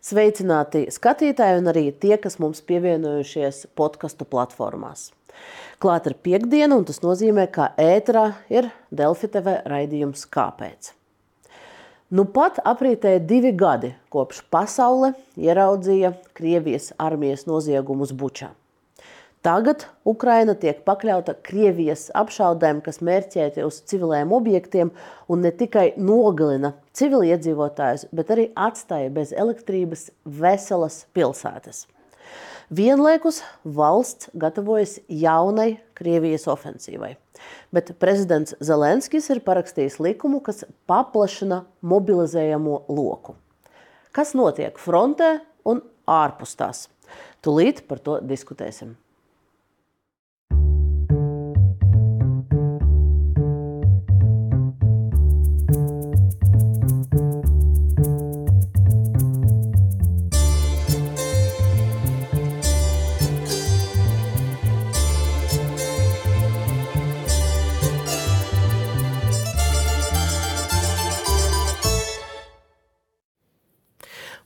Sveicināti skatītāji un arī tie, kas mums pievienojušies podcastu platformās. Klāt ir piektdiena, un tas nozīmē, ka ēterā ir Delfi TV raidījums Kāpēc? Nu pat aprītēja 2 gadi, kopš pasaule ieraudzīja Krievijas armijas noziegumus Bučā. Tagad Ukraina tiek pakļauta Krievijas apšaudēm, kas mērķēti uz civiliem objektiem un ne tikai nogalina civiliedzīvotājus, bet arī atstāja bez elektrības veselas pilsētas. Vienlaikus valsts gatavojas jaunai Krievijas ofensīvai, bet prezidents Zelenskis ir parakstījis likumu, kas paplašina mobilizējamo loku. Kas notiek frontē un ārpus tās? Tūlīt par to diskutēsim.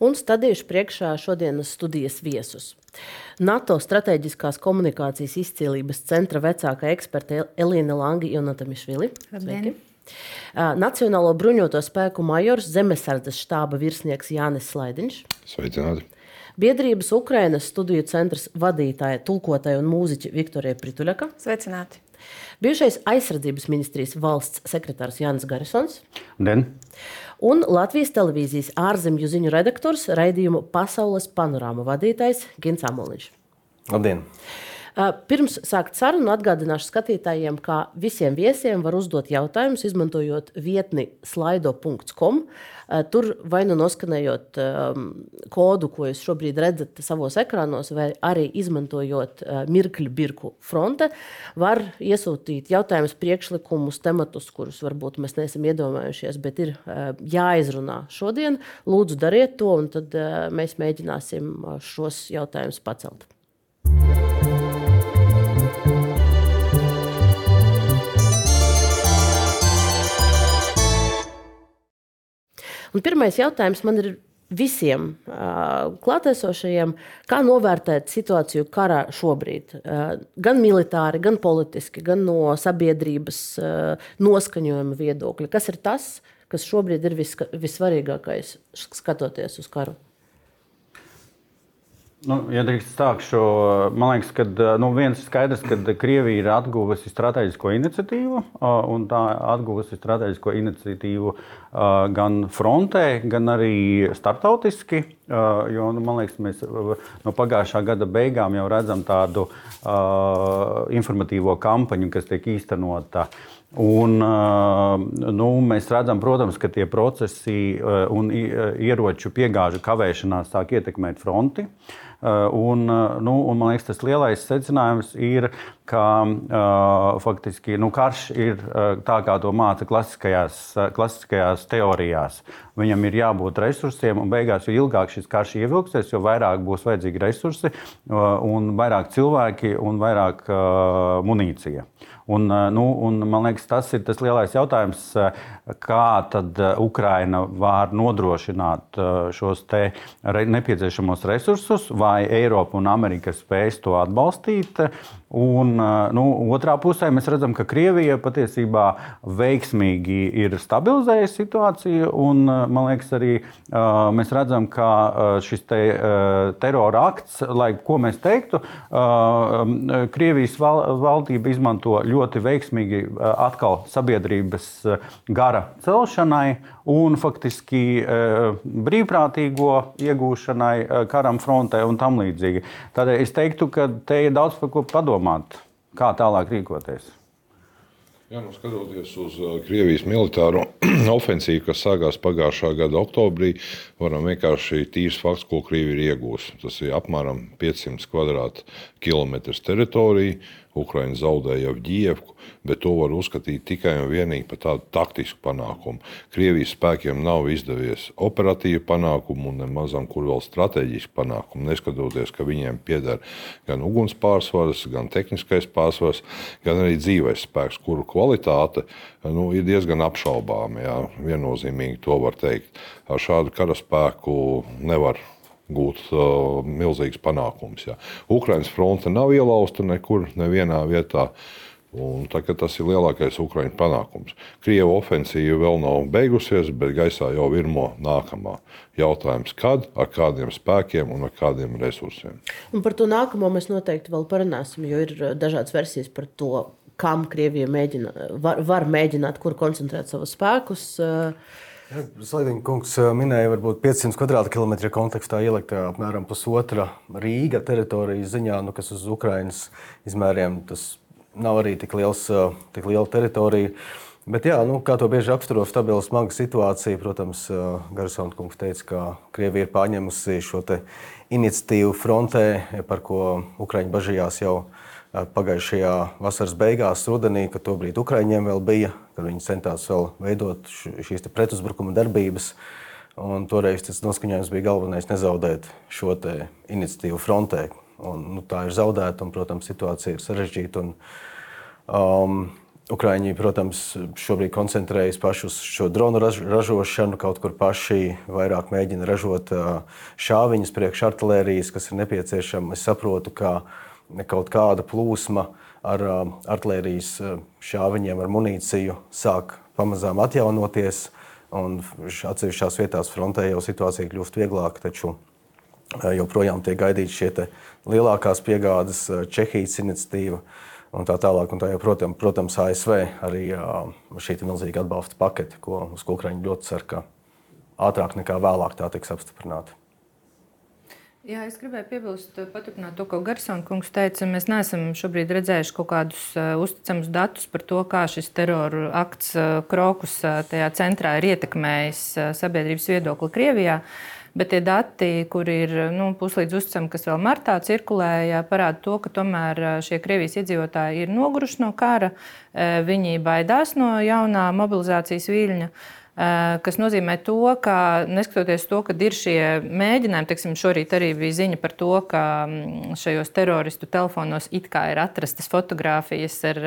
Un stādījuši priekšā šodienas studijas viesus. NATO strateģiskās komunikācijas izcīlības centra vecākā eksperte Elīna Langi-Jonatamišvili. Nacionālo bruņoto spēku majors, Zemesardzes štāba virsnieks Jānis Slaidiņš. Sveicināti. Biedrības Ukrainas studiju centrs vadītāja, tulkotāja un mūziķa Viktorija Prituļaka. Sveicināti. Bijušais aizsardzības ministrijas valsts sekretārs Jānis Garisons. Den. Un Latvijas televīzijas ārzemju ziņu redaktors, raidījumu Pasaules panorāma vadītājs Gins Amoliņš. Labdien! Pirms sākt sarunu atgādināšu skatītājiem, ka visiem viesiem var uzdot jautājumus, izmantojot vietni slaido.com. Tur vai nu noskanējot kodu, ko jūs šobrīd redzat savos ekrānos, vai arī izmantojot mirkļu birku fronte, var iesūtīt jautājumus, priekšlikumus, tematus, kurus varbūt mēs neesam iedomājušies, bet ir jāizrunā šodien. Lūdzu, dariet to, un tad mēs mēģināsim šos jautājumus pacelt. Un pirmais jautājums man ir visiem klātesošajiem, kā novērtēt situāciju karā šobrīd, gan militāri, gan politiski, gan no sabiedrības noskaņojuma viedokļa. Kas ir tas, kas šobrīd ir vissvarīgākais, skatoties uz karu? Ja drīkst sākšu, man liekas, ka viens ir skaidrs, ka Krievija ir atguvusi strateģisko iniciatīvu, un tā atguvusi strateģisko iniciatīvu gan frontē, gan arī starptautiski, jo, man liekas, mēs no pagājušā gada beigām jau redzam tādu informatīvo kampaņu, kas tiek īstenota. Un, mēs redzam, protams, ka tie procesi un ieroču piegāžu kavēšanās sāk ietekmēt fronti. Un man liekas, tas lielais secinājums ir, ka faktiski karš ir tā, kā to māca klasiskajās teorijās. Viņam ir jābūt resursiem, un beigās, jo ilgāk šis karš ievilksies, jo vairāk būs vajadzīgi resursi, un vairāk cilvēki, un vairāk munīcija. Un, man liekas, tas ir tas lielais jautājums, kā tad Ukraina var nodrošināt šos te nepieciešamos resursus, vai Eiropa un Amerika spēs to atbalstīt. Un, otrā pusē mēs redzam, ka Krievija patiesībā veiksmīgi ir stabilizējusi situāciju, un man liekas arī mēs redzam, ka šis terora akts, lai ko mēs teiktu, Krievijas valdība izmanto ļoti veiksmīgi atkal sabiedrības gara celšanai un faktiski brīvprātīgo iegūšanai karam frontē un tam līdzīgi. Tādēļ es teiktu, ka te ir daudz par ko padomāt, kā tālāk rīkoties. Jā, skatoties uz Krievijas militāro ofensīvu, kas sākās pagājušā gada oktobrī, varam vienkārši tīrs fakts, ko Krievija ir iegūsi. Tas ir apmēram 500 kvadrātkilometrus teritoriju. Ukraina zaudēja Avdijevku, bet to var uzskatīt tikai un vienīgi par tādu taktisku panākumu. Krievijas spēkiem nav izdevies operatīvi panākumu un nemazam kur vēl strateģiski panākumu, neskatoties, ka viņiem pieder gan uguns pārsvars, gan tehniskais pārsvars, gan arī dzīves spēks, kuru kvalitāte ir diezgan apšaubāma. Jā. Viennozīmīgi to var teikt. Ar šādu karaspēku nevar gūt milzīgs panākums. Jā. Ukrainas fronte nav ielausta nekur, nevienā vietā. Un tagad tas ir lielākais Ukraiņu panākums. Krievu ofensīva vēl nav beigusies, bet gaisā jau virmo nākamā. Jautājums, kad, ar kādiem spēkiem un ar kādiem resursiem. Un par to nākamo mēs noteikti vēl parunāsim, jo ir dažādas versijas par to, kam Krievija var mēģināt, kur koncentrēt savus spēkus. Slaidiņa kungs minēja, varbūt 500 kvadrātkilometri kontekstā ielikt apmēram pusotra Rīga teritorijas ziņā, kas uz Ukrainas izmēriem tas nav arī tik liela teritorija. Bet jā, kā to bieži apsturo stabila smaga situācija, protams, Garsona kungs teica, ka Krievija ir pārņemusi šo te iniciatīvu frontē, par ko Ukraiņi bažījās jau pagājušajā vasaras beigās, rudenī, kad tobrīd Ukraiņiem vēl bija, kad viņi centās vēl veidot šīs te pretuzbrukuma darbības. Un toreiz tas noskaņojums bija galvenais nezaudēt šo te iniciatīvu frontē. Un, tā ir zaudēta un, protams, situācija ir sarežģīta. Ukraiņi, protams, šobrīd koncentrējas paši uz šo dronu ražošanu, kaut kur paši vairāk mēģina ražot šāviņus priekš artilērijas, kas ir nepieciešama. Es saprotu, ka kaut kāda plūsma ar artilērijas šāviņiem, ar munīciju sāk pamazām atjaunoties, un atsevišķās vietās frontē jau situācija kļūst vieglāka, taču joprojām tiek gaidīts šie lielākās piegādes, Čehijas iniciatīva un tā tālāk. Un tā jau, protams, ASV arī šī milzīga atbalsta pakete, uz ko Ukraiņi ļoti cer, ka ātrāk nekā vēlāk tā tiks apstiprināta. Jā, es gribēju piebilst, paturpināt to, ko Garsona kungs teica. Mēs neesam šobrīd redzējuši kaut kādus uzticamus datus par to, kā šis terora akts Krokus tajā centrā ir ietekmējis sabiedrības viedokli Krievijā. Bet tie dati, kur ir puslīdz uzticami, kas vēl martā cirkulēja, parāda to, ka tomēr šie Krievijas iedzīvotāji ir noguruši no kara. Viņi baidās no jaunā mobilizācijas viļņa, kas nozīmē to, ka neskatoties to, ka ir šie mēģinājumi, teiksim, šorīt arī bija ziņa par to, ka šajos teroristu telefonos it kā ir atrastas fotogrāfijas ar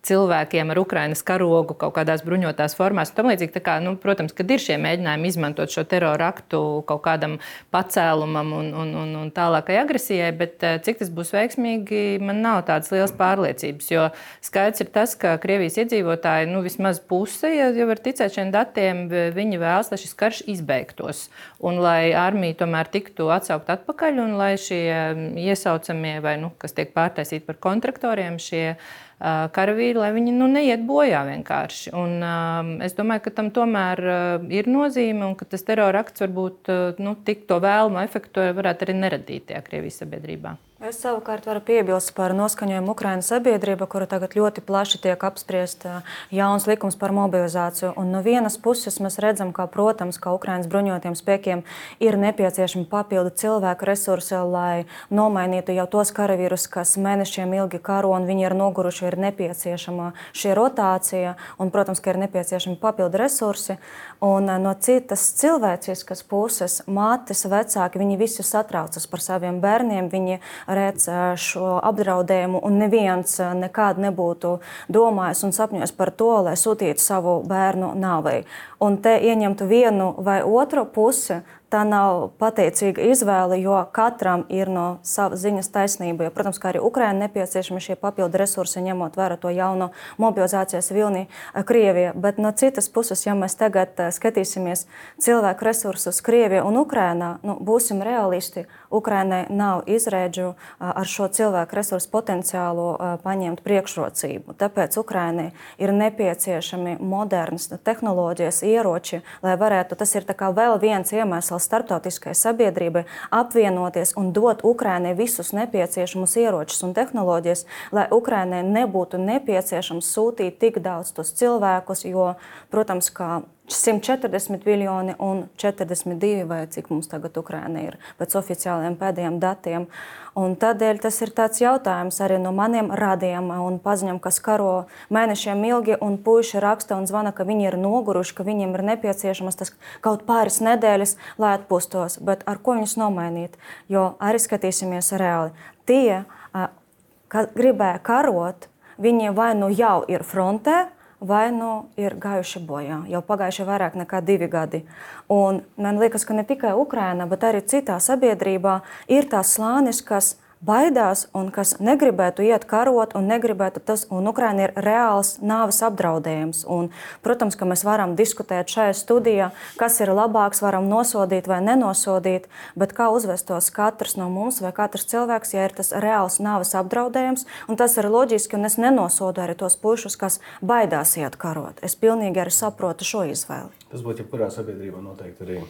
cilvēkiem ar Ukrainas karogu kaut kādās bruņotās formās. Tam līdzīgi, tā kā, protams, kad ir šie mēģinājumi izmantot šo terora aktu kaut kādam pacēlumam un tālākai agresijai, bet cik tas būs veiksmīgi, man nav tādas lielas pārliecības, jo skaidrs ir tas, ka Krievijas iedzīvotāji, vismaz puse, ja var ticēt šiem datiem, viņi vēlas, lai šis karš izbeigtos un lai armija tomēr tiktu atsaukt atpakaļ un lai šie iesaucamie vai, kas tiek pārtaisīti par kontraktoriem, šie karavīri, lai viņi neiet bojā vienkārši. Un es domāju, ka tam tomēr ir nozīme un ka tas terora akts varbūt tik to vēlamo efektu varētu arī neradīt tajā Krievijas sabiedrībā. Es savukārt varu piebilst par noskaņojumu Ukrainas sabiedrība, kura tagad ļoti plaši tiek apspriest jauns likums par mobilizāciju. Un no vienas puses mēs redzam, ka, protams, ka Ukrainas bruņotiem spēkiem ir nepieciešami papildu cilvēku resursi, lai nomainītu jau tos karavīrus, kas mēnešiem ilgi karo un viņi ir noguruši, ir nepieciešama šī rotācija un, protams, ka ir nepieciešami papildu resursi. Un no citas cilvēciskas puses mātes, vecāki, viņi visi satraucas par saviem bērniem, viņi redz šo apdraudējumu un neviens nekad nebūtu domājis un sapņojis par to, lai sūtītu savu bērnu nāvei. Un te ieņemtu vienu vai otru pusi, tā nav pateicīga izvēle, jo katram ir no savas ziņas taisnība. Jo, protams, kā arī Ukraina nepieciešami šie papildu resursi, ņemot vērā to jauno mobilizācijas vilni Krievija. Bet no citas puses, ja mēs tagad skatīsimies cilvēku resursus Krievijā un Ukrainā, būsim realisti, Ukrainai nav izrēdžu ar šo cilvēku resursu potenciālu paņemt priekšrocību. Tāpēc Ukrainai ir nepieciešami modernas tehnoloģijas, ieroči, lai varētu, tas ir tā kā vēl viens iemesls starptautiskai sabiedrībai apvienoties un dot Ukrainai visus nepieciešamus ieročus un tehnoloģijas, lai Ukrainai nebūtu nepieciešams sūtīt tik daudz tos cilvēkus, jo, protams, kā 140 miljoni un 42, vai cik mums tagad Ukraina ir pēc oficiāliem pēdējiem datiem. Un tādēļ tas ir tāds jautājums arī no maniem radiem un paziņam, kas karo mēnešiem ilgi un puiši raksta un zvana, ka viņi ir noguruši, ka viņiem ir nepieciešamas tas kaut pāris nedēļas, lai atpūstos. Bet ar ko viņus nomainīt? Jo arī skatīsimies reāli. Tie, kas gribēja karot, viņi vai jau ir frontē, vai ir gājuši bojā. Jau pagājuši vairāk nekā 2 gadi. Un man liekas, ka ne tikai Ukraina, bet arī citā sabiedrībā ir tās slānis, kas baidās un kas negribētu iet karot un negribētu tas, un Ukraina ir reāls nāves apdraudējums. Un, protams, ka mēs varam diskutēt šajā studijā, kas ir labāks, varam nosodīt vai nenosodīt, bet kā uzvestos katrs no mums vai katrs cilvēks, ja ir tas reāls nāves apdraudējums, un tas ir loģiski, un es nenosodu arī tos pušus, kas baidās iet karot. Es pilnīgi arī saprotu šo izvēli. Tas būtu jebkurā sabiedrībā noteikti arī.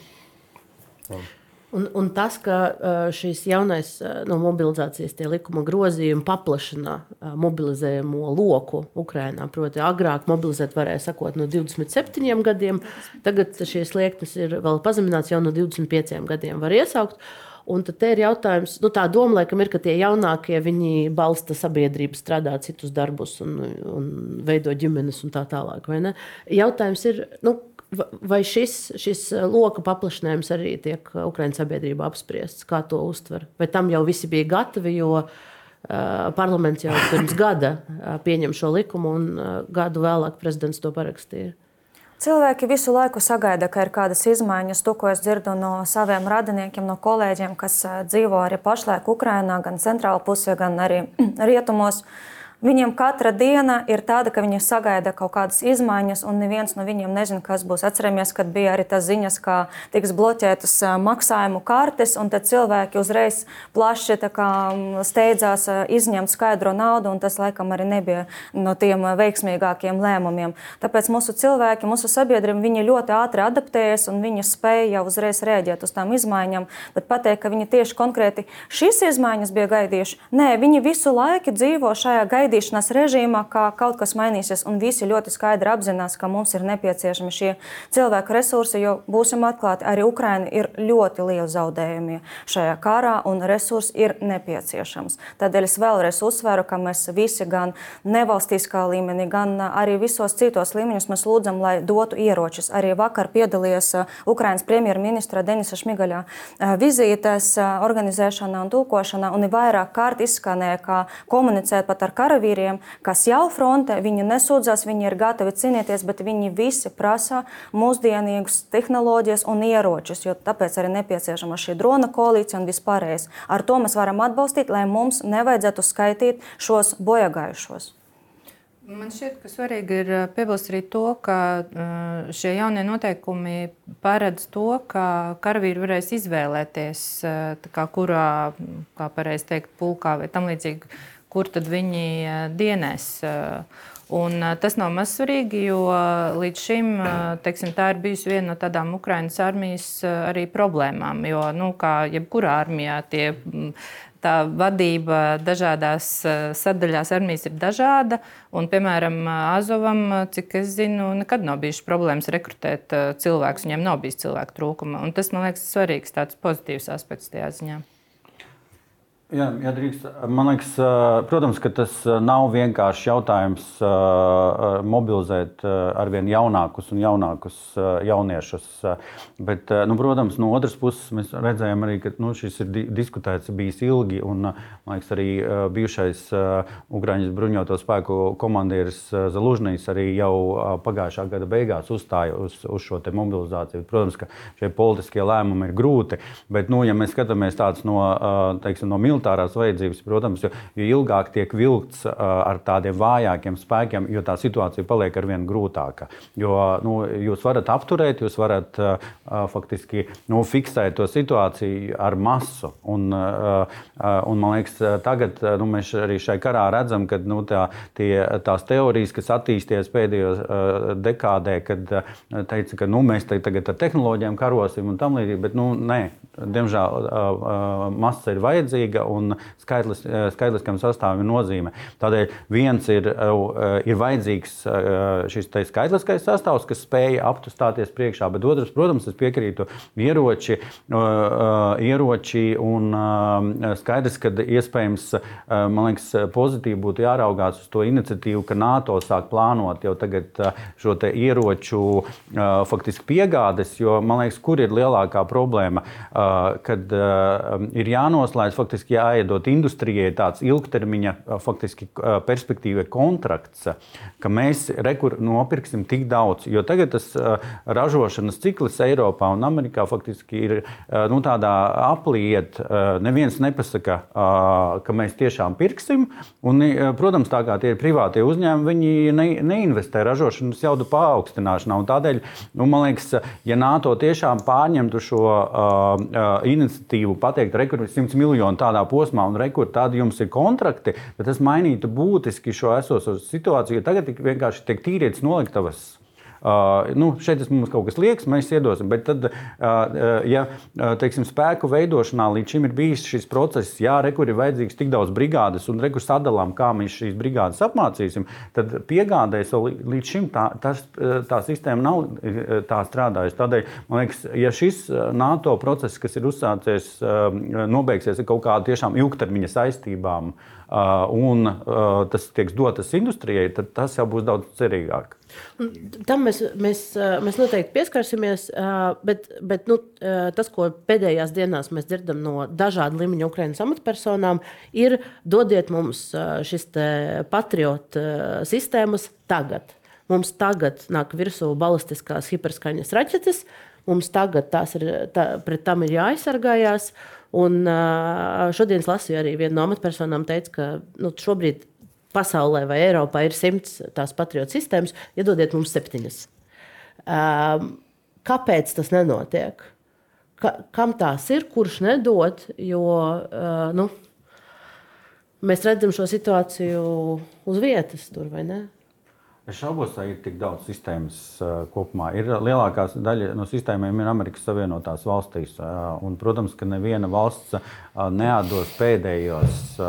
Un tas, ka šīs jaunais no mobilizācijas tie likuma grozījumi paplašina mobilizējumu loku Ukrainā, proti agrāk mobilizēt varēja sakot no 27 gadiem, tagad šīs sliektas ir vēl pazemināts jau no 25 gadiem var iesaukt. Un tad te ir jautājums, tā doma laikam ir, ka tie jaunākie, viņi balsta sabiedrību, strādā citus darbus un veido ģimenes un tā tālāk, vai ne? Jautājums ir, vai šis loka paplašinājums arī tiek Ukraiņas sabiedrībā apspriests, kā to uztver? Vai tam jau visi bija gatavi, jo parlaments jau pirms gada pieņem šo likumu un gadu vēlāk prezidents to parakstīja? Cilvēki visu laiku sagaida, ka ir kādas izmaiņas. To, ko es dzirdu no saviem radiniekiem, no kolēģiem, kas dzīvo arī pašlaik Ukrainā, gan centrāla pusē, gan arī rietumos. Viņiem katra diena ir tāda, ka viņi sagaida kaut kādas izmaiņas, un neviens no viņiem nezina, kas būs. Atceramies, kad bija arī tas ziņas, ka tiks bloķētas maksājumu kartes, un tad cilvēki uzreiz plaši steidzās izņemt skaidro naudu, un tas laikam arī nebija no tiem veiksmīgākiem lēmumiem. Tāpēc mūsu cilvēki, mūsu sabiedrība, viņi ļoti ātri adaptējas, un viņi spēja jau uzreiz rēģēt uz tām izmaiņām, bet pateikt, ka viņi tieši konkrēti šīs izmaiņas bija gaidījuši, nē, viņi visu laiku dzīvo šajā gaidīšanās režīmā, kā kaut kas mainīsies, un visi ļoti skaidri apzinās, ka mums ir nepieciešami šie cilvēku resursi, jo būsim atklāti, arī Ukraina ir ļoti liela zaudējumi šajā karā, un resursi ir nepieciešams. Tādēļ es vēlreiz uzsveru, ka mēs visi gan nevalstiskā līmenī, gan arī visos citos līmeņos mēs lūdzam, lai dotu ieročus. Arī vakar piedalījās Ukrainas premjerministra Denisa Šmigaļa vizītes organizēšanā un tūkošanā, un vairāk kārt izskanēja, kā komunicēt pat ar karavīriem, kas jau fronte, viņi nesūdzās, viņi ir gatavi cīnīties, bet viņi visi prasa mūsdienīgus tehnoloģijas un ieročus, jo tāpēc arī nepieciešama šī drona koalīcija un vispārējais. Ar to mēs varam atbalstīt, lai mums nevajadzētu skaitīt šos bojagājušos. Man šķiet, ka svarīgi ir piebilst arī to, ka šie jaunie noteikumi paredz to, ka karavīri varēs izvēlēties, kurā, kā pareizi teikt, pulkā vai tam līdzīgi, kur tad viņi dienēs. Un tas nav mazsvarīgi, jo līdz šim tā ir bijusi viena no tādām Ukrainas armijas arī problēmām. Jo, kā jebkurā armijā, tā vadība dažādās sadaļās armijas ir dažāda. Un, piemēram, Azovam, cik es zinu, nekad nav bijušas problēmas rekrutēt cilvēkus. Viņiem nav bijis cilvēku trūkuma. Un tas, man liekas, svarīgs tāds pozitīvs aspekts tajā ziņā. Jā, drīkst. Man liekas, protams, ka tas nav vienkārši jautājums mobilizēt arvien jaunākus un jaunākus jauniešus. Bet, protams, no otras puses mēs redzējām arī, ka šis ir diskutēts bijis ilgi, un, man liekas, arī bijušais Ukraiņas bruņoto spēku komandieris Zalužnijs arī jau pagājušā gada beigās uzstāja uz šo te mobilizāciju. Protams, ka šie politiskie lēmumi ir grūti, bet, ja mēs skatāmies tāds no militārās vajadzības, protams, jo ilgāk tiek vilkts ar tādiem vājākiem spēkiem, jo tā situācija paliek arvien grūtāka. Jo jūs varat apturēt, jūs varat faktiski fiksēt to situāciju ar masu. Un man liekas, tagad mēs arī šai karā redzam, ka tās teorijas, kas attīsties pēdējos dekādē, kad teica, ka mēs tagad ar tehnoloģijām karosim un tam līdzīgi, bet nē, diemžēl masa ir vajadzīga un skaitliskam sastāvam ir nozīme. Tādēļ viens ir vajadzīgs šis skaitliskais sastāvs, kas spēja apstāties priekšā, bet otrs, protams, es piekrītu ieroči un skaidrs, ka iespējams, man liekas, pozitīvi būtu jāraugās uz to iniciatīvu, ka NATO sāk plānot jau tagad šo te ieroču faktiski piegādes, jo, man liekas, kur ir lielākā problēma? kad ir jānoslēdz, faktiski jāiedot industrijai tāds ilgtermiņa faktiski perspektīva kontrakts, ka mēs nopirksim tik daudz. Jo tagad tas ražošanas cikls Eiropā un Amerikā faktiski ir tādā apliet. Neviens nepasaka, ka mēs tiešām pirksim. Un, protams, tā kā tie ir privātie uzņēmumi, viņi neinvestē ražošanas jaudu paaugstināšanā. Un tādēļ, man liekas, ja NATO tiešām pārņemtu šo iniciatīvu pateikt, rekur 100 miljonu tādā posmā un rekur tādi jums ir kontrakti, bet tas mainītu būtiski šo esošo situāciju, jo tagad vienkārši tiek tīrietas noliktavas. Šeit mums kaut kas liekas, mēs iedosim, bet tad, ja teiksim, spēku veidošanā līdz šim ir bijis šis process, rekur ir vajadzīgs tik daudz brigādes un rekur sadalām, kā mēs šīs brigādes apmācīsim, tad piegādēs līdz šim tā sistēma nav tā strādājusi. Tādēļ, man liekas, ja šis NATO process, kas ir uzsācies, nobeigsies ar kaut kādu tiešām ilgtermiņa saistībām un tas tiek dotas industrijai, tad tas jau būs daudz cerīgāk. Tam mēs noteikti pieskarsimies, bet tas, ko pēdējās dienās mēs dzirdam no dažādu līmeņu Ukrainas amatpersonām, ir dodiet mums šis Patriot sistēmas tagad. Mums tagad nāk virsū balistiskās hiperskaņas raķetes, mums tagad pret tam ir jāaizsargājās. Un šodien es lasīju arī vienu no amatpersonām teica, ka šobrīd pasaulē vai Eiropā ir 100 tās Patriot sistēmas, iedodiet mums 7. Kāpēc tas nenotiek? Kam tās ir, kurš nedod? Jo mēs redzam šo situāciju uz vietas tur, vai ne? Es šaubos, vai ir tik daudz sistēmas kopumā. Lielākā daļa no sistēmām ir Amerikas Savienotās valstīs. Un, protams, ka neviena valsts neatdos pēdējos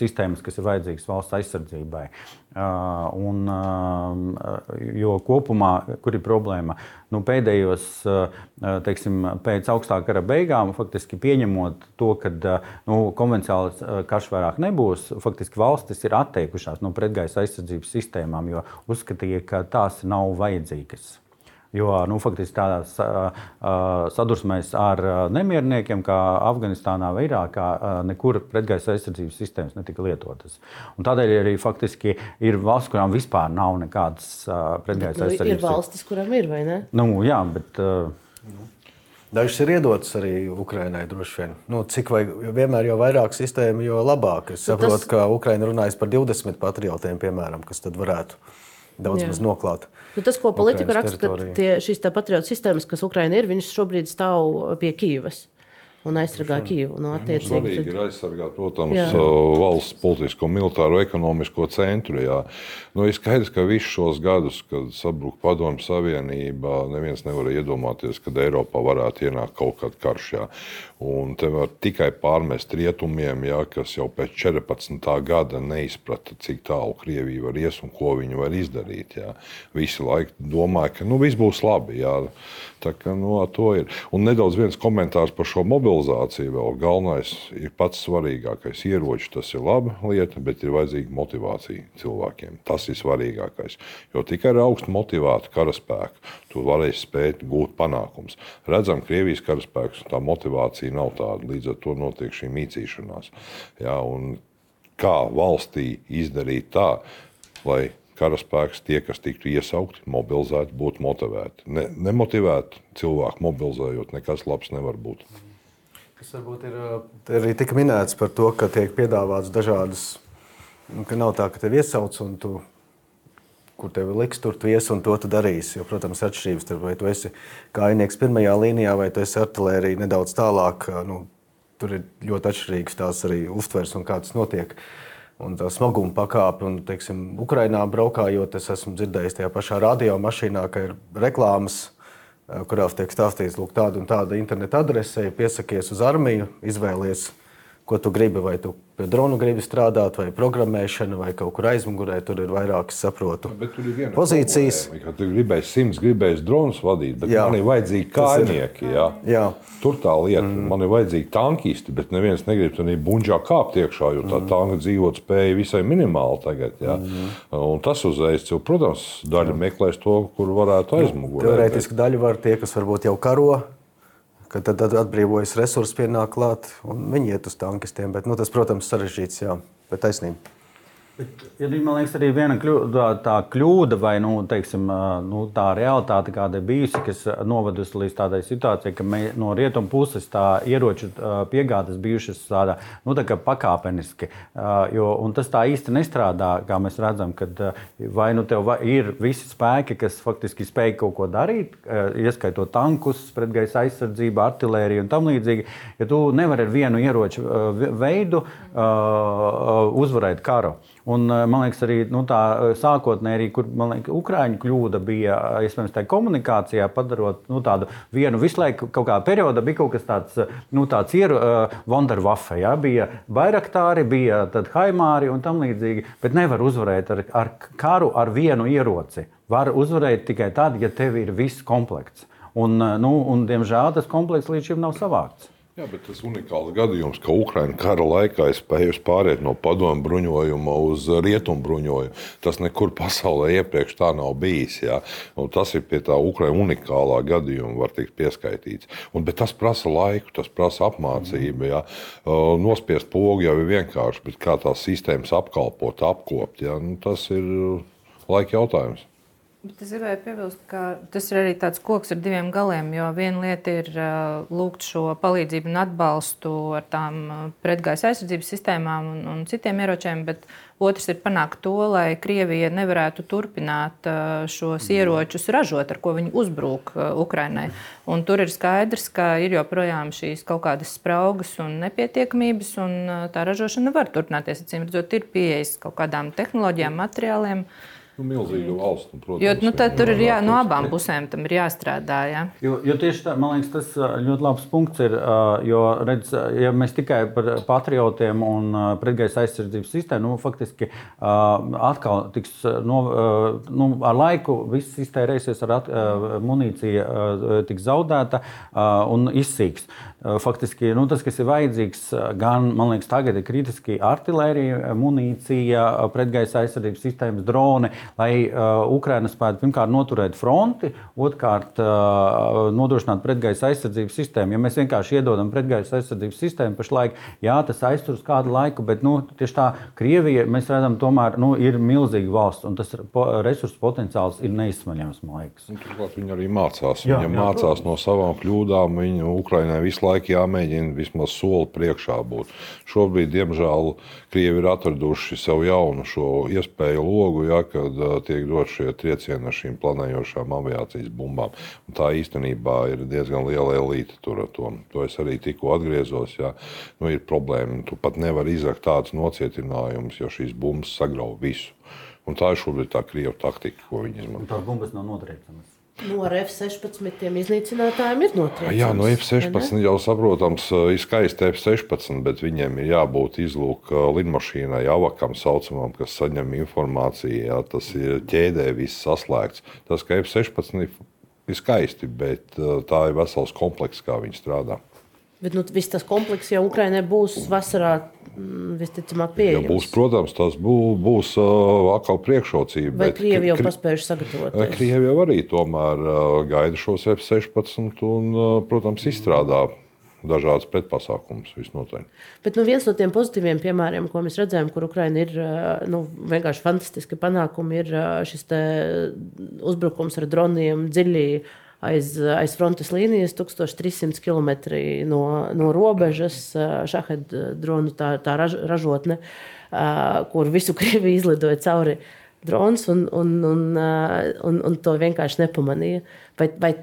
sistēmas, kas ir vajadzīgas valsts aizsardzībai. Jo kopumā, kur ir problēma, pēdējos, teiksim, pēc augstā kara beigām, faktiski pieņemot to, ka konvencionāls karš vairāk nebūs, faktiski valstis ir atteikušās no pretgaisa aizsardzības sistēmām, jo uzskatīja, ka tās nav vajadzīgas. Jo faktiski tādās sadursmēs ar nemierniekiem, kā Afganistānā vai Irākā, nekur pretgaisa aizsardzības sistēmas netika lietotas. Un tādēļ arī faktiski ir valsts, kurām vispār nav nekādas pretgaisa aizsardzības. Ir valstis, kurām ir, vai ne? Jā, bet... Dažas ir iedotas arī Ukrainai droši vien. Cik vienmēr jau vairāk sistēmu, jo labāk. Es saprotu, ka Ukraina runājas par 20 patriotiem, piemēram, kas tad varētu daudz maz noklāt. Tas, ko politika raksta, ka šīs patriotu sistēmas, kas Ukraina ir, viņas šobrīd stāv pie Kijivas un aizsargā Kijivu. Svarīgi ir aizsargāt, protams, valsts politisko, militāro, ekonomisko centru. Ir skaidrs, ka visus šos gadus, kad sabruka Padomju Savienība, neviens nevarēja iedomāties, kad Eiropā varētu ienākt kaut kāds karš. Un te var tikai pārmest rietumiem, kas jau pēc 14. gada neizprata, cik tālu Krievija var ies un ko viņi var izdarīt. Visi laiki domāja, ka viss būs labi. Tā kā to ir. Un nedaudz viens komentārs par šo mobilizāciju vēl. Galvenais ir pats svarīgākais. Ieroči, tas ir laba lieta, bet ir vajadzīga motivācija cilvēkiem. Tas ir svarīgākais. Jo tikai ar augstu motivētu karaspēku tu varēsi spēt gūt panākums. Redzam, Krievijas karaspēks, tā motivācija nav tāda. Līdz ar to notiek šī mīcīšanās. Un kā valstī izdarīt tā, lai karaspēks, tie, kas tiktu iesaukti, mobilizēti, būtu motivēti. Nemotivēti cilvēku mobilizējot, nekas labs nevar būt. Tas varbūt ir arī tika minēts par to, ka tiek piedāvāts dažādas, ka nav tā, ka tev iesauc un tu, kur tev liks, tur tu ies un to tu darīsi. Jo, protams, atšķirības, vai tu esi kājnieks pirmajā līnijā, vai tu esi artilērija nedaudz tālāk, tur ir ļoti atšķirīgs tās arī uztvers un kā tas notiek. Un tā smaguma pakāpe, un, teiksim, Ukrainā braukājot, es esmu dzirdējis tajā pašā radiomašīnā, ka ir reklāmas, kurās tiek stāstīts, lūk, tāda un tāda interneta adrese, piesakies uz armiju, izvēlies, ko tu gribi, vai tu pie dronu gribi strādāt, vai programmēšana, vai kaut kur aizmugurē, tur ir vairākas, saprotu, pozīcijas. Problēma, tu gribēsi 100, gribēsi dronus vadīt, bet man ir vajadzīgi kājnieki. Tur tā lieta, man ir vajadzīgi tankisti, bet neviens negrib tur buņģā kāpt iekšā, jo tā tanka dzīvot spēja visai minimāli tagad. Un tas uzreiz, protams, daļa meklēs to, kur varētu aizmugurē. Teorētiski daļa var tie, kas varbūt jau karo, ka tad atbrīvojas resursi, pienāk klāt un viņi iet uz tankistiem. Bet, tas, protams, sarežģīts, jā, bet taisnība. Ir, man liekas, arī viena tā kļūda vai teiksim, tā realitāte, kāda ir bijusi, kas novedusi līdz tādai situācijai, ka no rietumu puses tā ieroču piegādes bijušas tādā, tā kā pakāpeniski. Un tas tā īsti nestrādā, kā mēs redzam, kad vai tev ir visi spēki, kas faktiski spēj kaut ko darīt, ieskaitot tankus, pretgaisa aizsardzību, artilēriju un tam līdzīgi. Ja tu nevari ar vienu ieroču veidu uzvarēt karu. Un, man liekas, arī tā sākotnēji, kur Ukraiņu kļūda bija, iespējams, tā komunikācijā, padarot tādu vienu visu laiku, kaut kādā periodā bija kaut kas tāds, tāds Wunderwaffe, ja? Bija Bayraktāri, bija tad Haimāri un tam līdzīgi, bet nevar uzvarēt ar karu ar vienu ieroci. Var uzvarēt tikai tad, ja tev ir viss komplekts. Un diemžēl, tas komplekts līdz šim nav savākts. Jā, bet tas unikāls gadījums, ka Ukraina kara laikā ir spējusi pāriet no padomu bruņojuma uz rietumu bruņojumu. Tas nekur pasaulē iepriekš tā nav bijis. Jā. Tas ir pie tā Ukraina unikālā gadījuma, var tikt pieskaitīts. Bet tas prasa laiku, tas prasa apmācību. Jā. Nospiest pogu jau ir vienkārši, bet kā tās sistēmas apkalpot, apkopt, jā, tas ir laika jautājums. Bet es gribēju piebilst, ka tas ir arī tāds koks ar diviem galiem, jo viena lieta ir lūgt šo palīdzību un atbalstu ar tām pretgaisa aizsardzības sistēmām un citiem ieročiem, bet otrs ir panākt to, lai Krievija nevarētu turpināt šos ieročus ražot, ar ko viņi uzbrūk Ukrainai. Un tur ir skaidrs, ka ir joprojām šīs kaut kādas spraugas un nepietiekamības, un tā ražošana var turpināties. Acīm redzot, ir pieejas kaut kādām tehnoloģijām, materiāliem. Milzīga valsts, protams. Jo tur ir no abām pusēm tam ir jāstrādā. Jā. Jo tieši tā, man liekas, tas ļoti labs punkts ir, jo, redz, ja mēs tikai par patriotiem un pretgaisa aizsardzības sistēmu, faktiski atkal tiks, ar laiku viss iztērēsies, munīcija tiks zaudēta un izsīks. Faktiski, tas, kas ir vajadzīgs, gan, man liekas, tagad ir kritiski artilērija, munīcija, pretgaisa aizsardzības sistēmas, droni, lai Ukraina spētu pirmkārt noturēt fronti, otrkārt nodrošināt pretgaisa aizsardzības sistēmu. Ja mēs vienkārši iedodam pretgaisa aizsardzības sistēmu pašlaik, jā, tas aiztur uz kādu laiku, bet tieši tā Krievija, mēs redzam, tomēr ir milzīga valsts, un tas resursu potenciāls ir neizsmaļams, man liekas. Turklāt viņi arī mācās. Viņi mācās no savām kļūdām. Ukrainai visu laiku jāmēģina vismaz soli priekšā būt. Šobrīd, diemžēl, Krievi ir atraduši sev jaunu šo iespēju logu, jā, kad tiek dot šie triecieni ar šīm planējošām aviācijas bumbām. Un tā īstenībā ir diezgan liela elite tur ar to. To es arī tikko atgriezos. Jā. Ir problēma. Tu pat nevari izrakt tādus nocietinājumus, jo šīs bumbas sagrauj visu. Un tā ir šobrīd tā Krievu taktika, ko viņi izmanto. Un tās bumbas nav notriecamas. Ar F-16 iznīcinātājiem ir notriecams. Jā, no F-16 jau saprotams, ir skaisti F-16, bet viņiem ir jābūt izlūk lidmašīnai, avakam saucamam, kas saņem informāciju. Jā, tas ir ķēdē viss saslēgts. Tas, ka F-16 ir skaisti, bet tā ir vesels komplekss, kā viņi strādā. Bet viss tas komplekss jau Ukrainai būs vasarā visticamāk pieejams. Ja būs, protams, tas būs atkal priekšrocība. Vai Krievi jau paspējuši sagatavoties? Krievi jau arī tomēr gaida šos F-16 un, protams, izstrādā dažādas pretpasākumus visnotaļ. Bet viens no tiem pozitīviem piemēriem, ko mēs redzējām, kur Ukraina ir vienkārši fantastiski panākumi, ir šis uzbrukums ar droniem dziļi aiz frontes līnijas, 1300 km no robežas, Šahed dronu tā ražotne, kur visu Krieviju izlidoja cauri drons un to vienkārši nepamanīja. Vai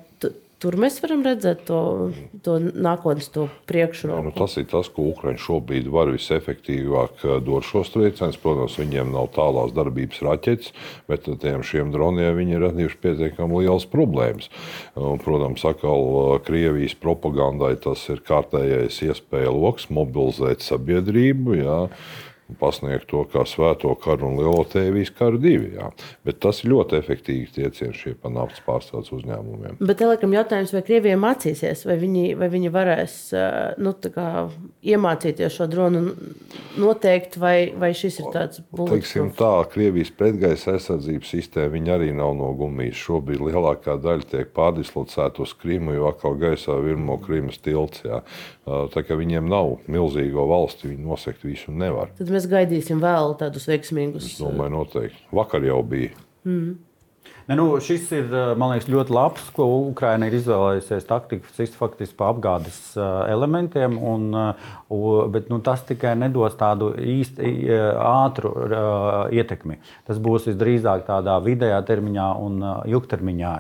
tur mēs varam redzēt to nākotnes, to priekšroku? Tas ir tas, ko Ukraiņa šobrīd var visefektīvāk dot šos triecienus. Protams, viņiem nav tālās darbības raķetes, bet šiem droniem viņi ir radījuši pietiekami lielas problēmas. Protams, atkal Krievijas propagandai tas ir kārtējais iespēja loks mobilizēt sabiedrību, jā. pasniegt to kā svēto karu un lielo tēvijas karu 2. Jā. Bet tas ir ļoti efektīvi triecieni šie pa naftas pārstrādes uzņēmumiem. Bet laikam jautājums, vai Krievija mācīsies, vai viņi varēs iemācīties šo dronu noteikt, vai šis ir tāds bulletproof? Teiksim tā, Krievijas pretgaisa aizsardzības sistēma, viņa arī nav no gumijas. Šobrīd lielākā daļa tiek pārdislocēta uz Krimu, jo atkal gaisā virmo Krimas tilts. Jā. Tā kā viņiem nav milzīgo valsti, viņi nosekt visu nevar. Tad mēs gaidīsim vēl tādus veiksmīgus. Es domāju, noteikti. Vakar jau bija. Šis ir, man liekas, ļoti labs, ko Ukraina ir izvēlējusies taktiku faktiski pa apgādes elementiem, bet tas tikai nedos tādu īsti ātru ietekmi. Tas būs visdrīzāk tādā vidējā termiņā un ilgtermiņā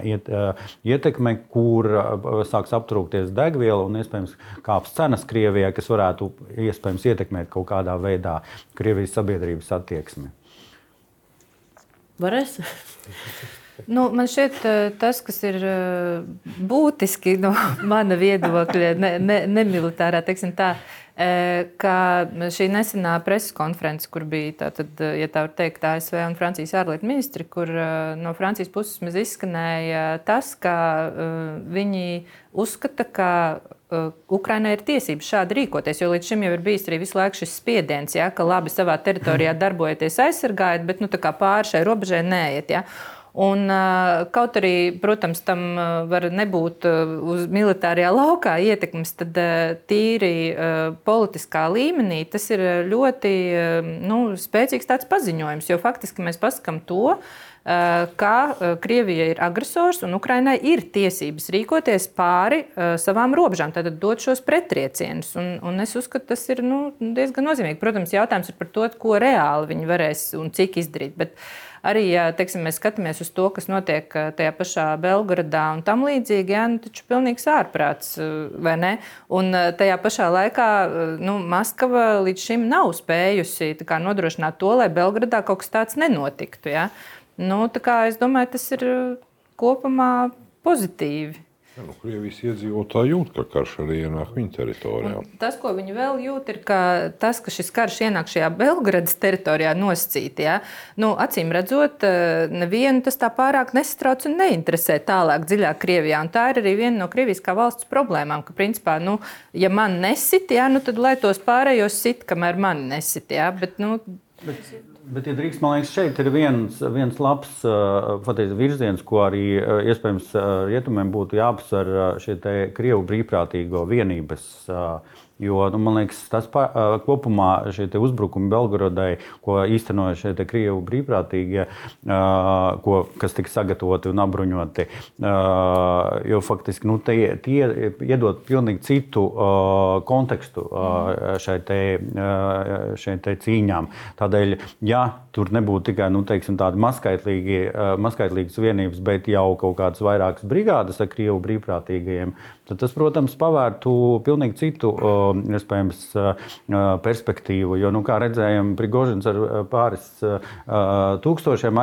ietekme, kur sāks aptrūkties degviela un iespējams kāps cenas Krievijai, kas varētu iespējams ietekmēt kaut kādā veidā Krievijas sabiedrības attieksmi. Varēs? Man šķiet, tas, kas ir būtiski no mana viedokļa, nemilitārā, teiksim tā, ka šī nesenā preses konference, kur bija tātad, ja tā var teikt, ASV un Francijas ārlietu ministri, kur no Francijas puses mēs izskanēja tas, ka viņi uzskata, ka Ukrainai ir tiesības šādi rīkoties, jo līdz šim jau ir bijis arī visu laiku šis spiediens, ja, ka labi savā teritorijā darbojaties aizsargājot, bet pāri šai robežai neeiet. Ja. Un, kaut arī, protams, tam var nebūt uz militārajā laukā ietekmes, tad tīri politiskā līmenī tas ir ļoti spēcīgs tāds paziņojums, jo faktiski mēs pasakām to, ka Krievija ir agresors un Ukrainai ir tiesības rīkoties pāri savām robežām, tātad dot šos pretriecienus. Un es uzskatu, tas ir diezgan nozīmīgi. Protams, jautājums ir par to, ko reāli viņi varēs un cik izdarīt. Bet arī, ja mēs skatāmies uz to, kas notiek tajā pašā Belgradā un tam līdzīgi, taču pilnīgs ārprāts, vai ne? Un tajā pašā laikā Maskava līdz šim nav spējusi nodrošināt to, lai Belgradā kaut kas tāds nenotiktu. Ja? Es domāju, tas ir kopumā pozitīvi. Krievijas iedzīvotāji jūt, ka karš arī ienāk viņa teritorijā. Tas, ko viņi vēl jūt, ir tas, ka šis karš ienāk šajā Belgradas teritorijā nosacīti. Ja? Acīm redzot, nevienu tas tā pārāk nesatrauc un neinteresē tālāk dziļāk Krievijā. Un tā ir arī viena no Krievijas kā valsts problēmām, ka principā, ja man nesit, ja, tad lai tos pārējos sit, kamēr mani nesit. Ja? Bet, ja drīkst, man liekas, šeit ir viens labs virziens, ko arī iespējams rietumiem būtu jāapsver šie te Krievu brīvprātīgo vienības. Jo, man liekas, tas kopumā šie uzbrukumi Belgorodai, ko īstenoja šie Krievu brīvprātīgie, kas tika sagatavoti un apbruņoti, jo faktiski tie iedod pilnīgi citu kontekstu šai te cīņām. Tādēļ, ja tur nebūtu tikai tādi mazskaitlīgas vienības, bet jau kaut kādas vairākas brigādes ar Krievu brīvprātīgajiem, tad tas, protams, pavērtu pilnīgi citu iespējams perspektīvu. Jo, kā redzējām, Prigožins ar pāris tūkstošiem